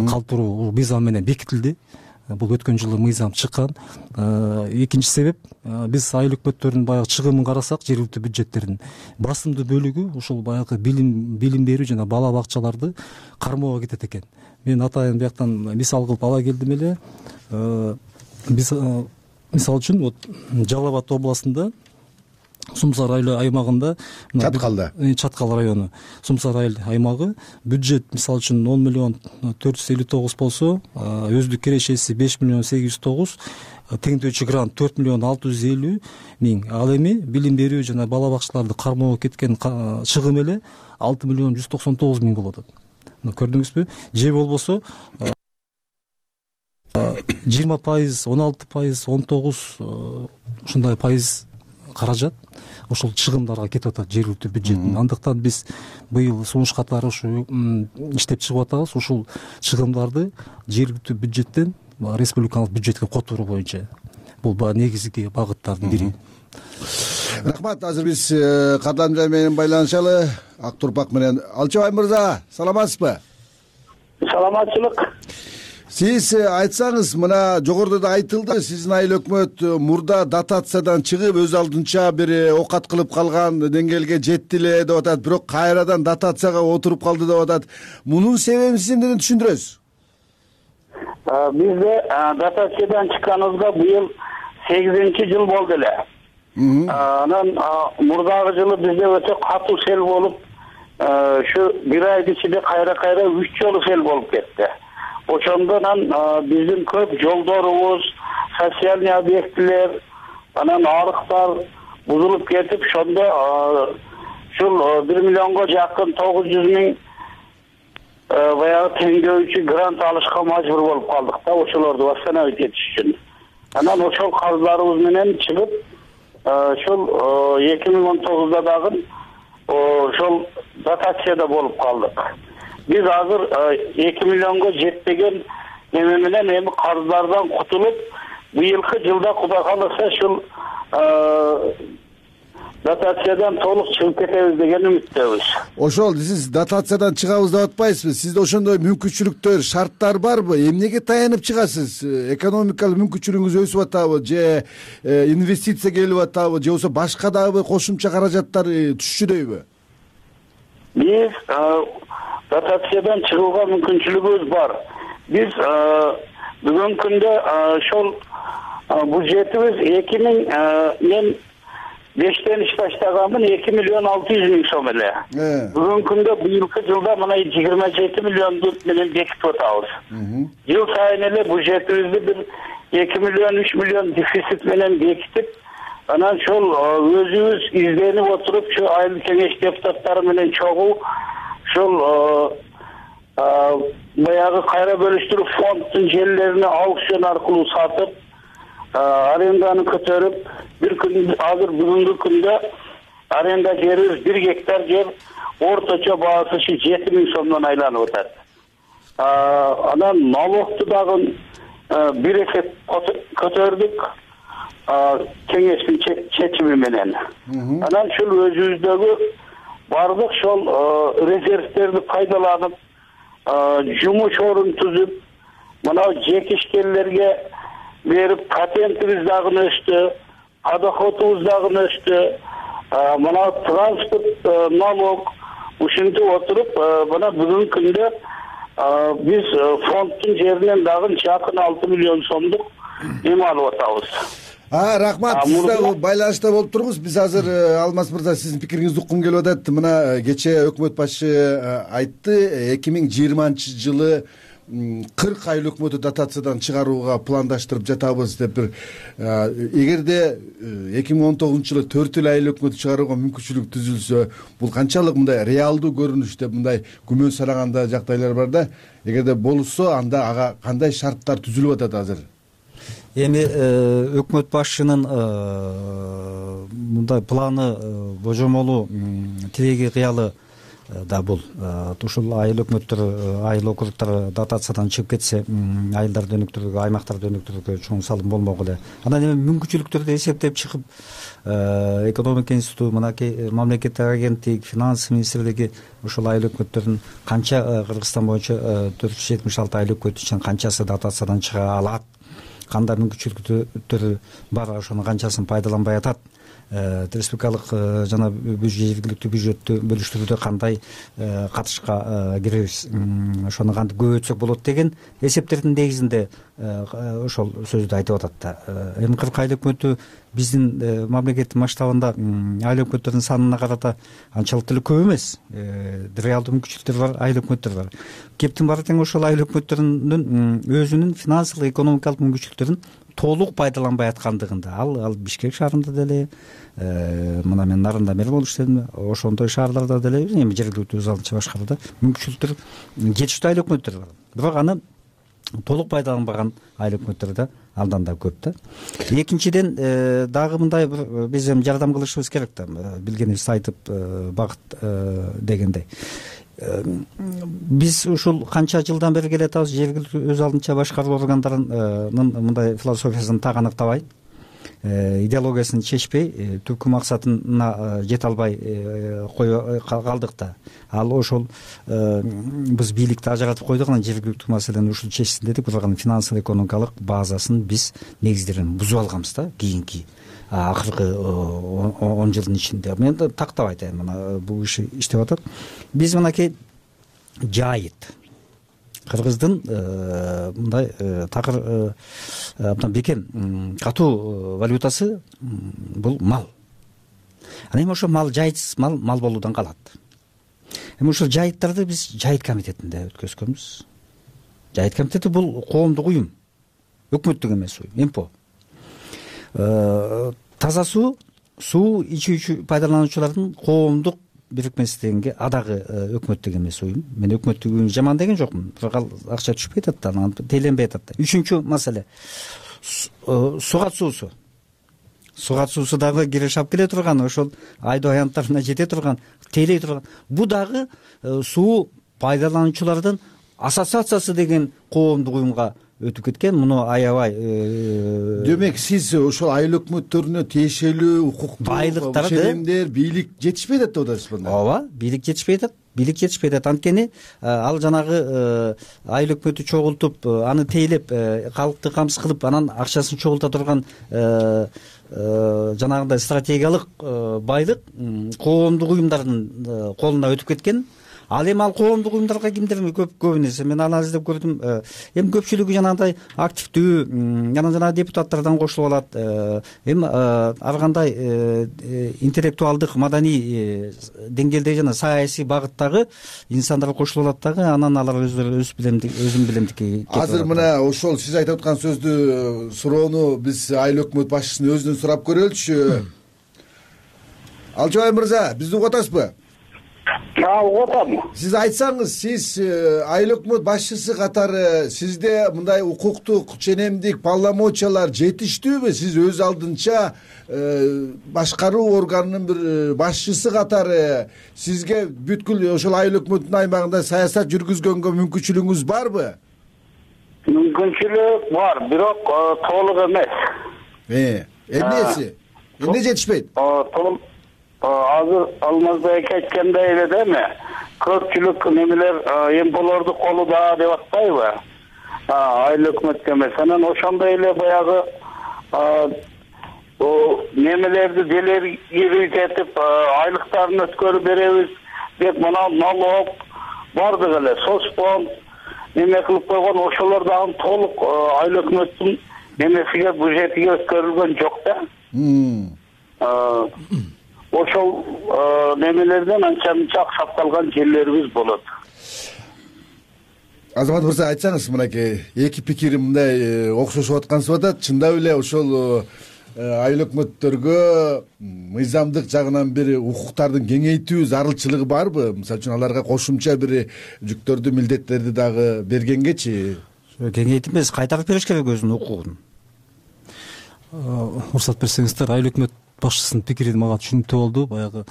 калтыруу мыйзам менен бекитилди. Бул өткөн жылы мыйзам чыккан. Экинчи себеп, биз айыл өкмөттөрүнүн баягы чыгымын карасак, жергиликтүү бюджеттердин басымдуу бөлүгү ушул баягы билим берүү жана бала бакчаларды кармоого кетет экен. Мен атайын бияктан мисал кылып ала келдим эле. Биз мисалы үчүн Жалал Абад областында Сумсар айыл аймагында, Чаткал району, Сумсар айыл аймагы бюджет мисалы үчүн 10 миллион 459 болсо, өздүк кирешеси 5 миллион 809, теңдөөчү грант 4 миллион 650 миң. Ал эми билим берүү жана бала бакчаларды кармоого кеткен чыгым эле 6 миллион 199 миң болот. Көрдүңүзбү? Же болбосо 20%, 16%, 19 ушундай пайыз каражат ошол чыгымдарга кетип атат жергиликтүү бюджеттин. Андыктан биз быйыл сунуш катары ушу иштеп чыгып атабыз. Ушул чыгымдарды жергиликтүү бюджеттен республикалык бюджетке которуу боюнча. Бул негизги багыттардын бири. Рахмат. Азыр биз каттамжай менен байланышалы. Ак Турпак менен. Алчыбай мырза, саламатсызбы? Саламатчылык. Сиз айтсаңыз, мына жогоруда да айтылды, сиздин айыл өкмөт мурда дотациядан чыгып өз алдынча бир окат кылып калган деңгээлге жетти эле деп атат, бирок кайрадан дотацияга отуруп калды деп атат. Мунун себебин сиз эмнеден түшүндүрөсүз? Бизде дотациядан чыкканыбызга быйыл 8-жыл болду эле. Анан мурдагы жылы бизде өтө катуу сел болуп, ушу бир айдын ичинде кайра 3 жолу сел болуп кетти. Ошондон биздин көп жолдорубуз, социальный объектилер, анан арыктар бузулуп кетип, ошондо ушул 1 миллионго жакын 900 миң баягы теңдөөчү грант алышка мажбур болуп калдык да, ошолорду восстановить этиш үчүн. Анан ошол карыздарыбыз менен чыгып, ошол 2019да дагы ошол дотацияда болуп калдык. Биз азыр 2 миллионго жетпеген эме менен эми карыздардан кутулуп, быйылкы жылда Кудай кааласа ушул дотациядан толук чыгып кетебиз деген үмүттөбүз. Ошол сиз дотациядан чыгабыз деп атпайсызбы? Сизде ошондой мүмкүнчүлүктөр, шарттар барбы? Эмнеге таянып чыгасыз? Экономикалык мүмкүнчүлүгүңүз өсүп атабы, же инвестиция келип атабы, же болбосо башка дагы кошумча каражаттар түшчүдөйбү? Биз дотациядан чыгууга мүмкүнчүлүгүбүз бар. Биз бүгүнкү күндө ошол бюджетибиз 2005-тен иш баштаганмын, 2 миллион 600 миң сом эле. Бүгүнкү күндө быйылкы жылда мына 27 миллионду менен бекитип атабыз. Жыл сайын эле бюджетибизди бир 2 миллион 3 миллион дефицит менен бекитип, Анан ошол өзүбүз изденип отуруп ушу айыл кеңеш депутаттары менен чогуу ушул баягы кайра бөлүштүрүү фонддун жерлерине аукцион аркылуу сатып, аренданы көтөрүп, бир күн азыр бүгүнкү күндө аренда жерибиз 1 гектар жер орточо баасы 7.000 сомдон айланып атат. Анан налогту дагы бир эсе көтөрдүк кеңештин чечими менен. Анан ушул өзүбүздөгү бардык ошол резервтерди пайдаланып, жумуш орун түзүп, мына жекишкерлерге берип, патентибиз дагы өстү, подоходубуз дагы өстү, мына транспорт налог ушинтип отуруп, мына бүгүнкү күндө биз фонддун жеринен дагы жакын 6 миллион сомдук эме алып атабыз. Рахмат, сиз да байланышта болуп туруңуз. Биз азыр Алмаз мырза сиздин пикириңизди уккум келип атат. Мына кечээ өкмөт башы айтты, 2020-жылы 40 айыл өкмөтү дотациядан чыгарууга пландаштырып жатабыз деп бир. Эгерде 2019-жылы 4 айыл өкмөтү чыгарууга мүмкүнчүлүк түзүлсө, бул канчалык мындай реалдуу көрүнүш деп мындай күмөн санаганда жагдайлар бар да. Эгерде болсо, анда ага кандай шарттар түзүлүп атат азыр? Эми өкмөт башчынын мындай планы, божомолу, тилеги, кыялы да бул. Ушул айыл өкмөттөр, айыл округдор дотациядан чыгып кетсе, айылдарды өнүктүрүүгө, аймактарды өнүктүрүүгө чоң салым болмок эле. Анан эми мүмкүнчүлүктөрдү эсептеп чыгып, экономика институту, мынакей мамлекеттик агенттик, финанс министрлиги ушул айыл өкмөттөрдүн канча Кыргызстан боюнча 476 айыл өкмөт үчүн канчасы дотациядан чыга алат, кандай мүмкүнчүлүктөрү бар, ошонун канчасын пайдаланбай атат, республикалык жана жергиликтүү бюджеттү бөлүштүрүүдө кандай катышка киребиз, ошону кантип көбөйтсөк болот деген эсептердин негизинде ошол сөздү айтып атат да. Эми 40 айыл өкмөтү биздин мамлекеттин масштабында айыл өкмөттөрдүн санына карата анчалык деле көп эмес. Реалдуу мүмкүнчүлүктөр бар, айыл өкмөттөр бар. Кептин баары тең ошол айыл өкмөттөрүнүн өзүнүн финансылык, экономикалык мүмкүнчүлүктөрүн толук пайдаланбай аткандыгында, ал Бишкек шаарында деле, мына мен Нарында мэр болуп иштедим, ошондой шаарларда деле, эми жергиликтүү өз алдынча башкарууда мүмкүнчүлүктөр жетиштүү айыл өкмөттөр бар. Бирок аны толук пайдаланбаган айыл өкмөттөр да андан да көп да. Экинчиден, дагы мындай биз эми жардам кылышыбыз керек да, билгенибизди айтып багыт дегендей. Биз ушул канча жылдан бери келатабыз, жергиликтүү өз алдынча башкаруу органдарынын мындай философиясын так аныктабай, идеологиясын чечпей, түпкү максатына жете албай кое калдык да. Ал ошол биз бийликти ажыратып койдук, анан жергиликтүү маселени ушул чечсин дедик, бирок анын финансылык, экономикалык базасын биз негиздерин бузуп алганбыз да, кийинки акыркы 10 жылдын ичинде. Мен тактап айтайын, мына бул иши иштеп атат. Биз мынакей жайыт, Кыргыздын мындай такыр абдан бекем катуу валютасы бул мал. Анан эми ошо мал жайытсыз мал болуудан калат. Эми ушул жайыттарды биз жайыт комитетинде өткөзгөнбүз. Жайыт комитети бул коомдук уюм, өкмөттүк эмес уюм, МПО. Таза суу ичүүчү пайдалануучулардын коомдук бирикмеси дегенге адагы өкмөттүк эмес уюм. Мен өкмөттүк уюм жаман деген жокмун, бирок ал акча түшпөй атат да, анан теленбей атат да. Үчүнчү маселе сугат суусу. Сугат суусу дагы киреш алып келе турган, ошол айдоо аянттарына жете турган, тейлей турган. Бул дагы суу пайдалануучулардын ассоциациясы деген коомдук уюмга өтүп кеткен. Муну аябай демек сиз ошол айыл өкмөттөрүнө тиешелүү укуктуу байлыктар, бийлик жетишпей атат деп атасызбы? Ооба, бийлик жетишпей атат. Бийлик жетишпей атат. Анткени ал жанагы айыл өкмөтү чогултуп, аны тейлеп, калкты камсыз кылып, анан акчасын чогулта турган жанагындай стратегиялык байлык коомдук уюмдардын колуна өтүп кеткен. ал эми ал коомдук уюмдарга кимдер көбүн эсе мен аны издеп көрдүм. Эми көпчүлүгү жанагындай активдүү жанагы депутаттардан кошулуп алат. Эми ар кандай интеллектуалдык маданий деңгээлде жана саясий багыттагы инсандар кошулуп алат дагы, анан алар өздөрү өзүн билемдики. Азыр мына ошол сиз айтып аткан сөздү суроону биз айыл өкмөт башчысынын өзүнөн сурап көрөлүчү. Алчыбай мырза, бизди угуп атасызбы? Угуп атам. Сиз айтсаңыз, сиз айыл өкмөт башчысы катары сизде мындай укуктук, ченемдик полномочиялар жетиштүүбү? Сиз өз алдынча башкаруу органынын бир башчысы катары сизге бүткүл ошол айыл өкмөттүн аймагында саясат жүргүзгөнгө мүмкүнчүлүгүңүз барбы? Мүмкүнчүлүк бар, бирок толук эмес. Эмнеси? Эмне жетишпейт? Азыр Алмазбек айткандай эле деме, көпчүлүк немелер эмполорду колуда деп атпайбы? Айыл өкмөткө эмес. Анан ошондой эле баягы немелерди делегируйт этип, айлыктарын өткөрүп беребиз деп мына налог бардык эле. Соцфонд неме кылып койгон, ошолор дагы толук айыл өкмөттүн немесиге, бюджетиге өткөрүлгөн жок да. Ошол немелерден анча-мынча аксатталган жерлерибиз болот. Азамат мырза, айтсаңыз, мынакей эки пикирим мындай окшошуп аткансып атат. Чындап эле ошол айыл өкмөттөргө мыйзамдык жагынан бир укуктардын кеңейтүү зарылчылыгы барбы? Мисалы үчүн аларга кошумча бир жүктөрдү, милдеттерди дагы бергенгечи? Кеңейтип эмес, кайтарып бериш керек өзүнүн укугун. Уруксат берсеңиздер, айыл өкмөт башчысынын пикири мага түшүнүктүү болду. Баягы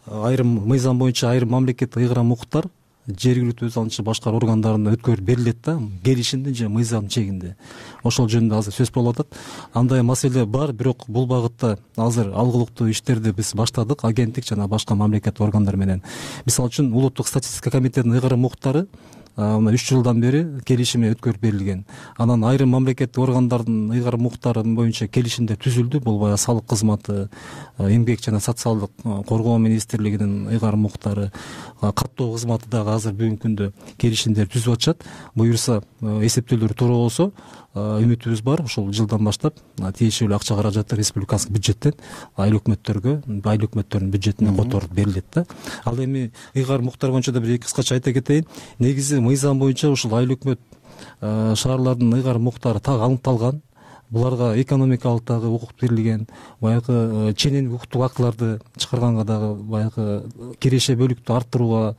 айрым мыйзам боюнча айрым мамлекеттик ыйгарым укуктар жергиликтүү өз алдынча башкаруу органдарына өткөрүп берилет да, келишимдин же мыйзамдын чегинде. Ошол жөнүндө азыр сөз болуп атат. Андай маселе бар, бирок бул багытта азыр алгылыктуу иштерди биз баштадык, агенттик жана башка мамлекеттик органдар менен. Мисалы үчүн Улуттук статистика комитетинин ыйгарым укуктары 3 жылдан бери келишими өткөрүп берилген. Анан айрым мамлекеттик органдардын ыйгарым укуктары боюнча келишимдер түзүлдү. Бул баягы салык кызматы, эмгек жана социалдык коргоо министрлигинин ыйгарым укуктары, каттоо кызматы дагы азыр бүгүнкү күндө келишимдер түзүп атышат. Буюрса, эсептөөлөр туура болсо, үмүтүбүз бар, ушул жылдан баштап тиешелүү акча каражаты республикалык бюджеттен айыл өкмөттөрдүн бюджетине которуп берилет да. Ал эми ыйгарым укуктар боюнча да бир кыскача айта кетейин. Негизи мыйзам боюнча ушул айыл өкмөт шаарлардын ыйгарым укуктары так аныкталган. Буларга экономикалык дагы укук берилген, баягы ченемдик укуктук актыларды чыгарганга дагы баягы киреше бөлүктү арттырууга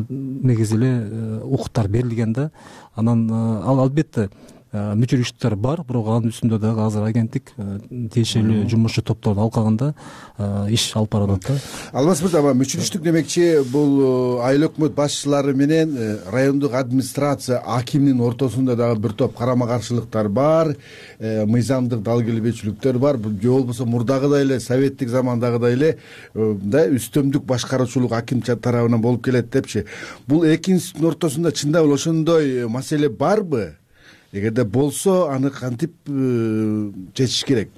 негизи эле укуктар берилген да. Анан ал албетте мүчүлүктөр бар, бирок анын үстүндө дагы азыр агенттик тиешелүү жумушчу топторду алкаганда иш алып барат да. Алмаз мырза, мүчүлүштүк демекчи бул айыл өкмөт башчылары менен райондук администрация акимдин ортосунда дагы бир топ карама каршылыктар бар, мыйзамдык дал келбечүлүктөр бар. Же болбосо мурдагыдай эле советтик замандагыдай эле үстөмдүк башкаруучулук аким тарабынан болуп келет депчи. Бул эки институттун ортосунда чындап эле ошондой маселе барбы? Эгерде болсо, аны кантип чечиш керек?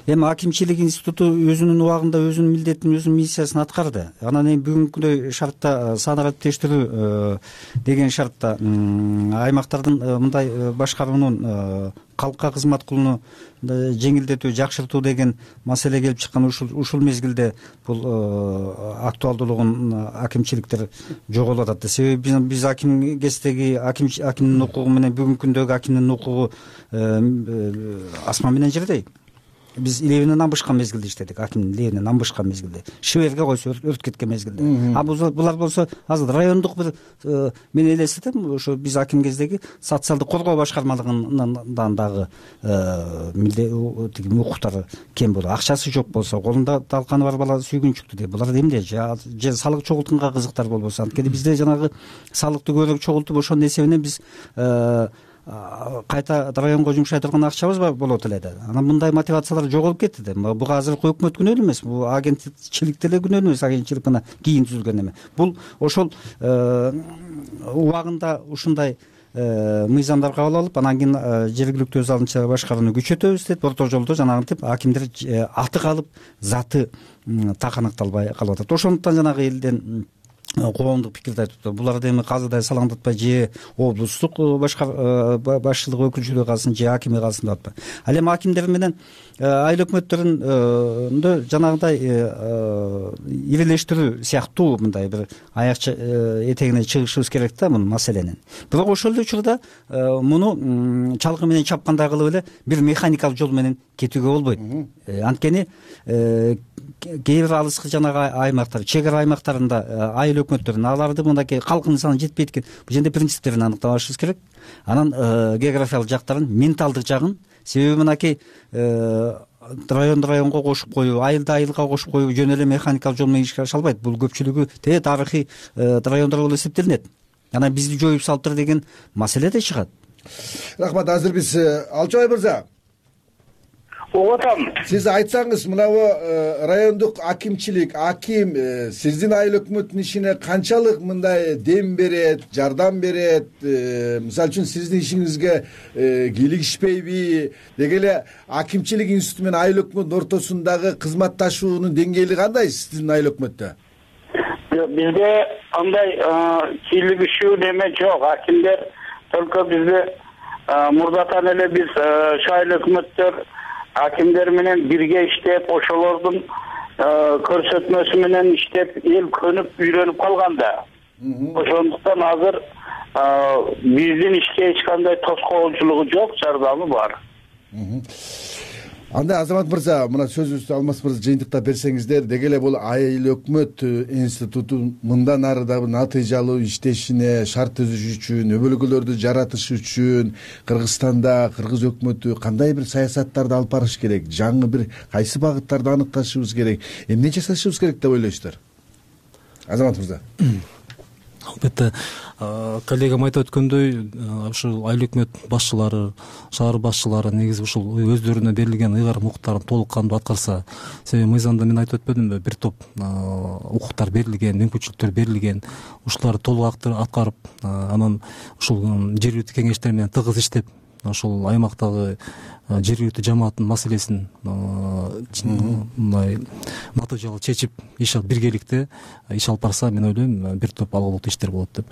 Эми акимчилик институту өзүнүн убагында өзүнүн милдетин, өзүнүн миссиясын аткарды. Анан эми бүгүнкүдөй шартта саны катыштыруу деген шартта аймактардын мындай башкаруунун калкка кызмат кылууну жеңилдетүү, жакшыртуу деген маселе келип чыккан. Ушул мезгилде бул актуалдуулугун акимчиликтер жоголуп атат. Себеби биз аким кездеги акимдин укугу менен бүгүнкү күндөгү акимдин укугу асман менен жердей. Биз илебинен амбышкан мезгилде иштедик, акимдин илебинен амбышкан мезгилде, шиберге койсо өрт кеткен мезгилде. Булар болсо азыр райондук бир мен элестетем, ошо биз аким кездеги социалдык коргоо башкармалыгынан дагы укуктары кем болот. Акчасы жок болсо, колунда талканы бар бала сүйгүнчүктү деп, булар эмне же салык чогултканга кызыктар болбосо. Анткени бизде жанагы салыкты көбүрөөк чогултуп, ошонун эсебинен биз кайта районго жумшай турган акчабыз болот эле да. Анан мындай мотивациялар жоголуп кетти да. Буга азыркы өкмөт күнөөлүү эмес, бул агенттичилик деле күнөөлүү эмес, агенттичилик гана кийин түзүлгөн эме. Бул ошол убагында ушундай мыйзамдар кабыл алып, анан кийин жергиликтүү өз алдынча башкарууну күчөтөбүз деп, орто жолдо жанагынтип акимдер аты калып, заты так аныкталбай калып атат. Ошондуктан жанагы элден коомдук пикирди айтып атат. Буларды эми казырдай салаңдатпай же облустук башчылык өкүлчүлүгү калсын же акими калсын деп атпайбы. Ал эми акимдер менен айыл өкмөттөрүндө жанагындай ирелештирүү сыяктуу мындай бир аяк этегине чыгышыбыз керек да мунун маселенин. Бирок ошол эле учурда муну чалгы менен чапкандай кылып эле бир механикалык жол менен кетүүгө болбойт. Анткени кээ бир алыскы жанагы аймактар, чек ара аймактарында айыл өкмөттөрүн аларды мындайкей калктын саны жетпейт экен. Бул жерде принциптерин аныктап алышыбыз керек. Анан географиялык жактарын, менталдык жагын, себеби мынакей районго кошуп коюу, айылды айылга кошуп коюу жөн эле механикалык жол менен ишке аша албайт. Бул көпчүлүгү тарыхый райондор болуп эсептелинет. Анан бизди жоюп салыптыр деген маселе да чыгат. Рахмат. Азыр биз Алчыбай мырза, Оотам. Сиз айтсаңыз, мынабу райондук аким сиздин айыл өкмөттүн ишине канчалык мындай дем берет, жардам берет? Мисалы үчүн сиздин ишиңизге кийлигишпейби? Деги эле акимчилик институту менен айыл өкмөттүн ортосундагы кызматташуунун деңгээли кандай сиздин айыл өкмөттө? Бизде андай кийлигишүү неме жок. Акимдер только бизде мурдатан эле биз айыл өкмөттөр акимдер менен бирге иштеп, ошолордун көрсөтмөсү менен иштеп, эл көнүп, үйрөнүп калганда. Ошондуктан азыр биздин ишке эч кандай тоскоолчулугу жок, жардамы бар. Анда Азамат мырза, мына сөзүбүздү Алмаз мырза жыйынтыктап берсеңиздер, деги эле бул айыл өкмөт институту мындан ары да натыйжалуу иштешине шарт түзүш үчүн, өбөлгөлөрдү жаратыш үчүн Кыргызстанда кыргыз өкмөтү кандай бир саясаттарды алып барыш керек? Жаңы бир кайсы багыттарды аныкташыбыз керек? Эмне жасашыбыз керек деп ойлойсуздар? Азамат мырза. Албетте, коллегам айтып өткөндөй, ушул айыл өкмөт башчылары, шаар башчылары негизи ушул өздөрүнө берилген ыйгарым укуктарын толук кандуу аткарса, себеби мыйзамда мен айтып өтпөдүмбү, бир топ укуктар берилген, мүмкүнчүлүктөр берилген, ушуларды толук аткарып, анан ушул жергиликтүү кеңештер менен тыгыз иштеп, ошол аймактагы жергиликтүү жамааттын маселесин мындай натыйжалуу чечип, биргеликте иш алып барса, мен ойлойм, бир топ алгылуу иштер болот деп.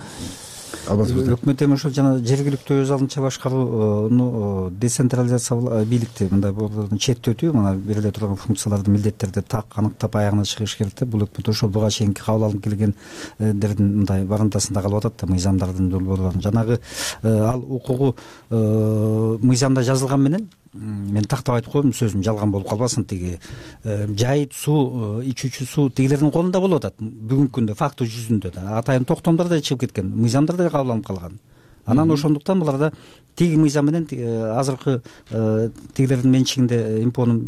Өкмөт эми ошол жана жергиликтүү өз алдынча башкаруу, децентрализация бийликти мындай четтетүү, мына бериле турган функцияларды, милдеттерди так аныктап аягына чыгыш керек да. Бул өкмөт ошол буга чейинки кабыл алынып келгендердин мындай барымтасында калып атат да, мыйзамдардын долбоорлорун. Жанагы ал укугу мыйзамда жазылган менен мен тактап айтып коем, сөзүм жалган болуп калбасын, тиги жайыт суу, ичүүчү суу тигилердин колунда болуп атат. Бүгүнкү күндө факты жүзүндө да атайын токтомдор да чыгып кеткен, мыйзамдар да кабыл алынып калган. Анан ошондуктан буларда тиги мыйзам менен азыркы тигилердин менчигинде, импонун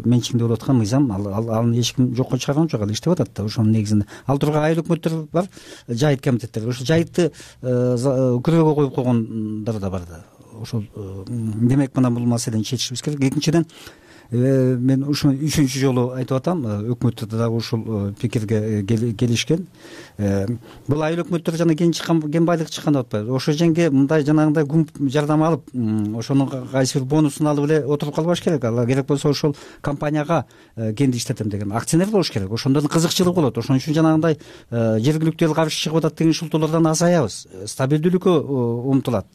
менчигинде болуп аткан мыйзам, аны эч ким жокко чыгарган жок, ал иштеп атат да. Ошонун негизинде ал турган айыл өкмөттөр бар, жайыт комитеттер. Ошол жайытты күрөөгө коюп койгондар да бар да. Ошол демек мына бул маселени чечишибиз керек. Экинчиден, мен ушуну 3-үнчү жолу айтып атам, өкмөттөр дагы ушул пикирге келишкен. Бул айыл өкмөттөр жана кен байлык чыккан деп атпайбы? Ошо жерге мындай жанагындай күмп жардам алып, ошонун кайсы бир бонусун алып эле отуруп калбаш керек. Ал керек болсо ошол компанияга кенди иштетем деген акционер болуш керек. Ошондон кызыкчылык болот. Ошон үчүн жанагындай жергиликтүү эл каршы чыгып атат деген шылтоолордон азаябыз. Стабилдүүлүккө умтулат.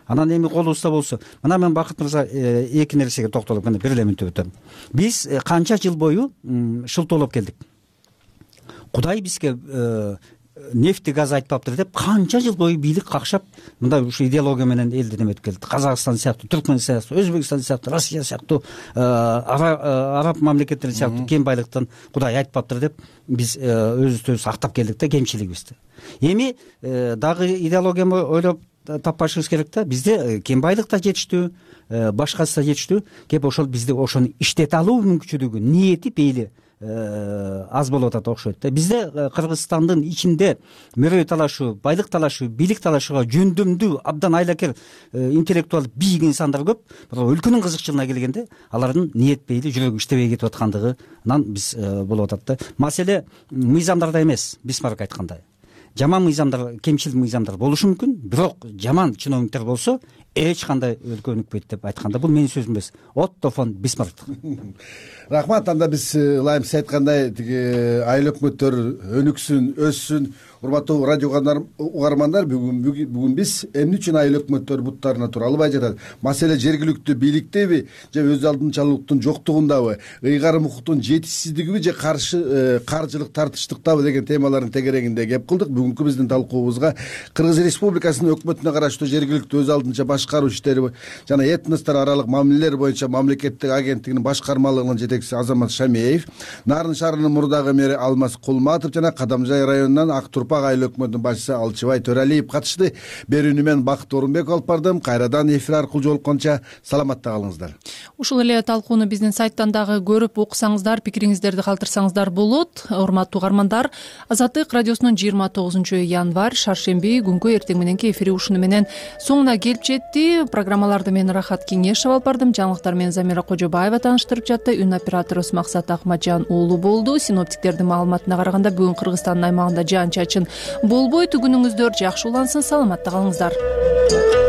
Анан эми колубузда болсо, мына мен Бакыт мырза эки нерсеге токтолуп, мына бир эле мүнөттө өтөм. Биз канча жыл бою шылтоолоп келдик. Кудай бизге нефти газ айтпаптыр деп канча жыл бою бийлик какшап, мындай ушу идеология менен элди неметип келди. Казакстан сыяктуу, Түркмөн сыяктуу, Өзбекстан сыяктуу, Россия сыяктуу, араб мамлекеттери сыяктуу кен байлыктан Кудай айтпаптыр деп биз өзүбүздү актап келдик да, кемчилигибизди. Эми дагы идеологияны ойлоп таппашыбыз керек да. Бизде кен байлык да жетиштүү, башкасы да жетиштүү. Кеп ошол бизде ошону иштете алуу мүмкүнчүлүгү, ниети, пейили аз болуп атат окшойт да. Бизде Кыргызстандын ичинде мөрөй талашуу, байлык талашуу, бийлик талашууга жөндөмдүү, абдан айлакер интеллектуал бийик инсандар көп. Бирок өлкөнүн кызыкчылыгына келгенде алардын ниет пейили, жүрөгү иштебей кетип аткандыгынан биз болуп атат да. Маселе мыйзамдарда эмес, Бисмарк айткандай. Жаман мыйзамдар, кемчил мыйзамдар болушу мүмкүн, бирок жаман чиновниктер болсо эч кандай өлкө өнүкпөйт деп айтканда бул менин сөзүм эмес, Отто фон Бисмарк. Рахмат. Анда биз ылайым сиз айткандай тиги айыл өкмөттөр өнүксүн, өссүн. Урматтуу радио угармандар, бүгүн биз эмне үчүн айыл өкмөттөр буттарына тура албай жатат? Маселе жергиликтүү бийликтеби же өз алдынчалуулуктун жоктугундабы, ыйгарым укуктун жетишсиздигиби же каржылык тартыштыктабы деген темалардын тегерегинде кеп кылдык. Бүгүнкү биздин талкуубузга Кыргыз Республикасынын өкмөтүнө караштуу жергиликтүү өз алдынча башкаруу иштери жана этностор аралык мамилелер боюнча мамлекеттик агенттигинин башкармалыгынын жетекчиси Азамат Шамеев, Нарын шаарынын мурдагы мэри Алмаз Кулматов жана Кадамжай районунан Ак Турпак айыл өкмөтүнүн башчысы Алчыбай Төралиев катышты. Берүүнү мен Бакыт Орунбеков алып бардым. Кайрадан эфир аркылуу жолукканча саламатта калыңыздар. Ушул эле талкууну биздин сайттан дагы көрүп окусаңыздар, пикириңиздерди калтырсаңыздар болот. Урматтуу угармандар, Азаттык радиосунун 29 январь шаршемби күнкү эртең мененки эфири ушуну менен соңуна келип жетти. Программаларды мен Рахат Кеңешов алып бардым. Жаңылыктар менен Замира Кожобаева тааныштырып жатты. Үн операторубуз Максат Акматжан уулу болду. Синоптиктердин маалыматына караганда бүгүн Кыргызстандын аймагында жаан чачын болбойт. Күнүңүздөр жакшы улансын, саламатта калыңыздар.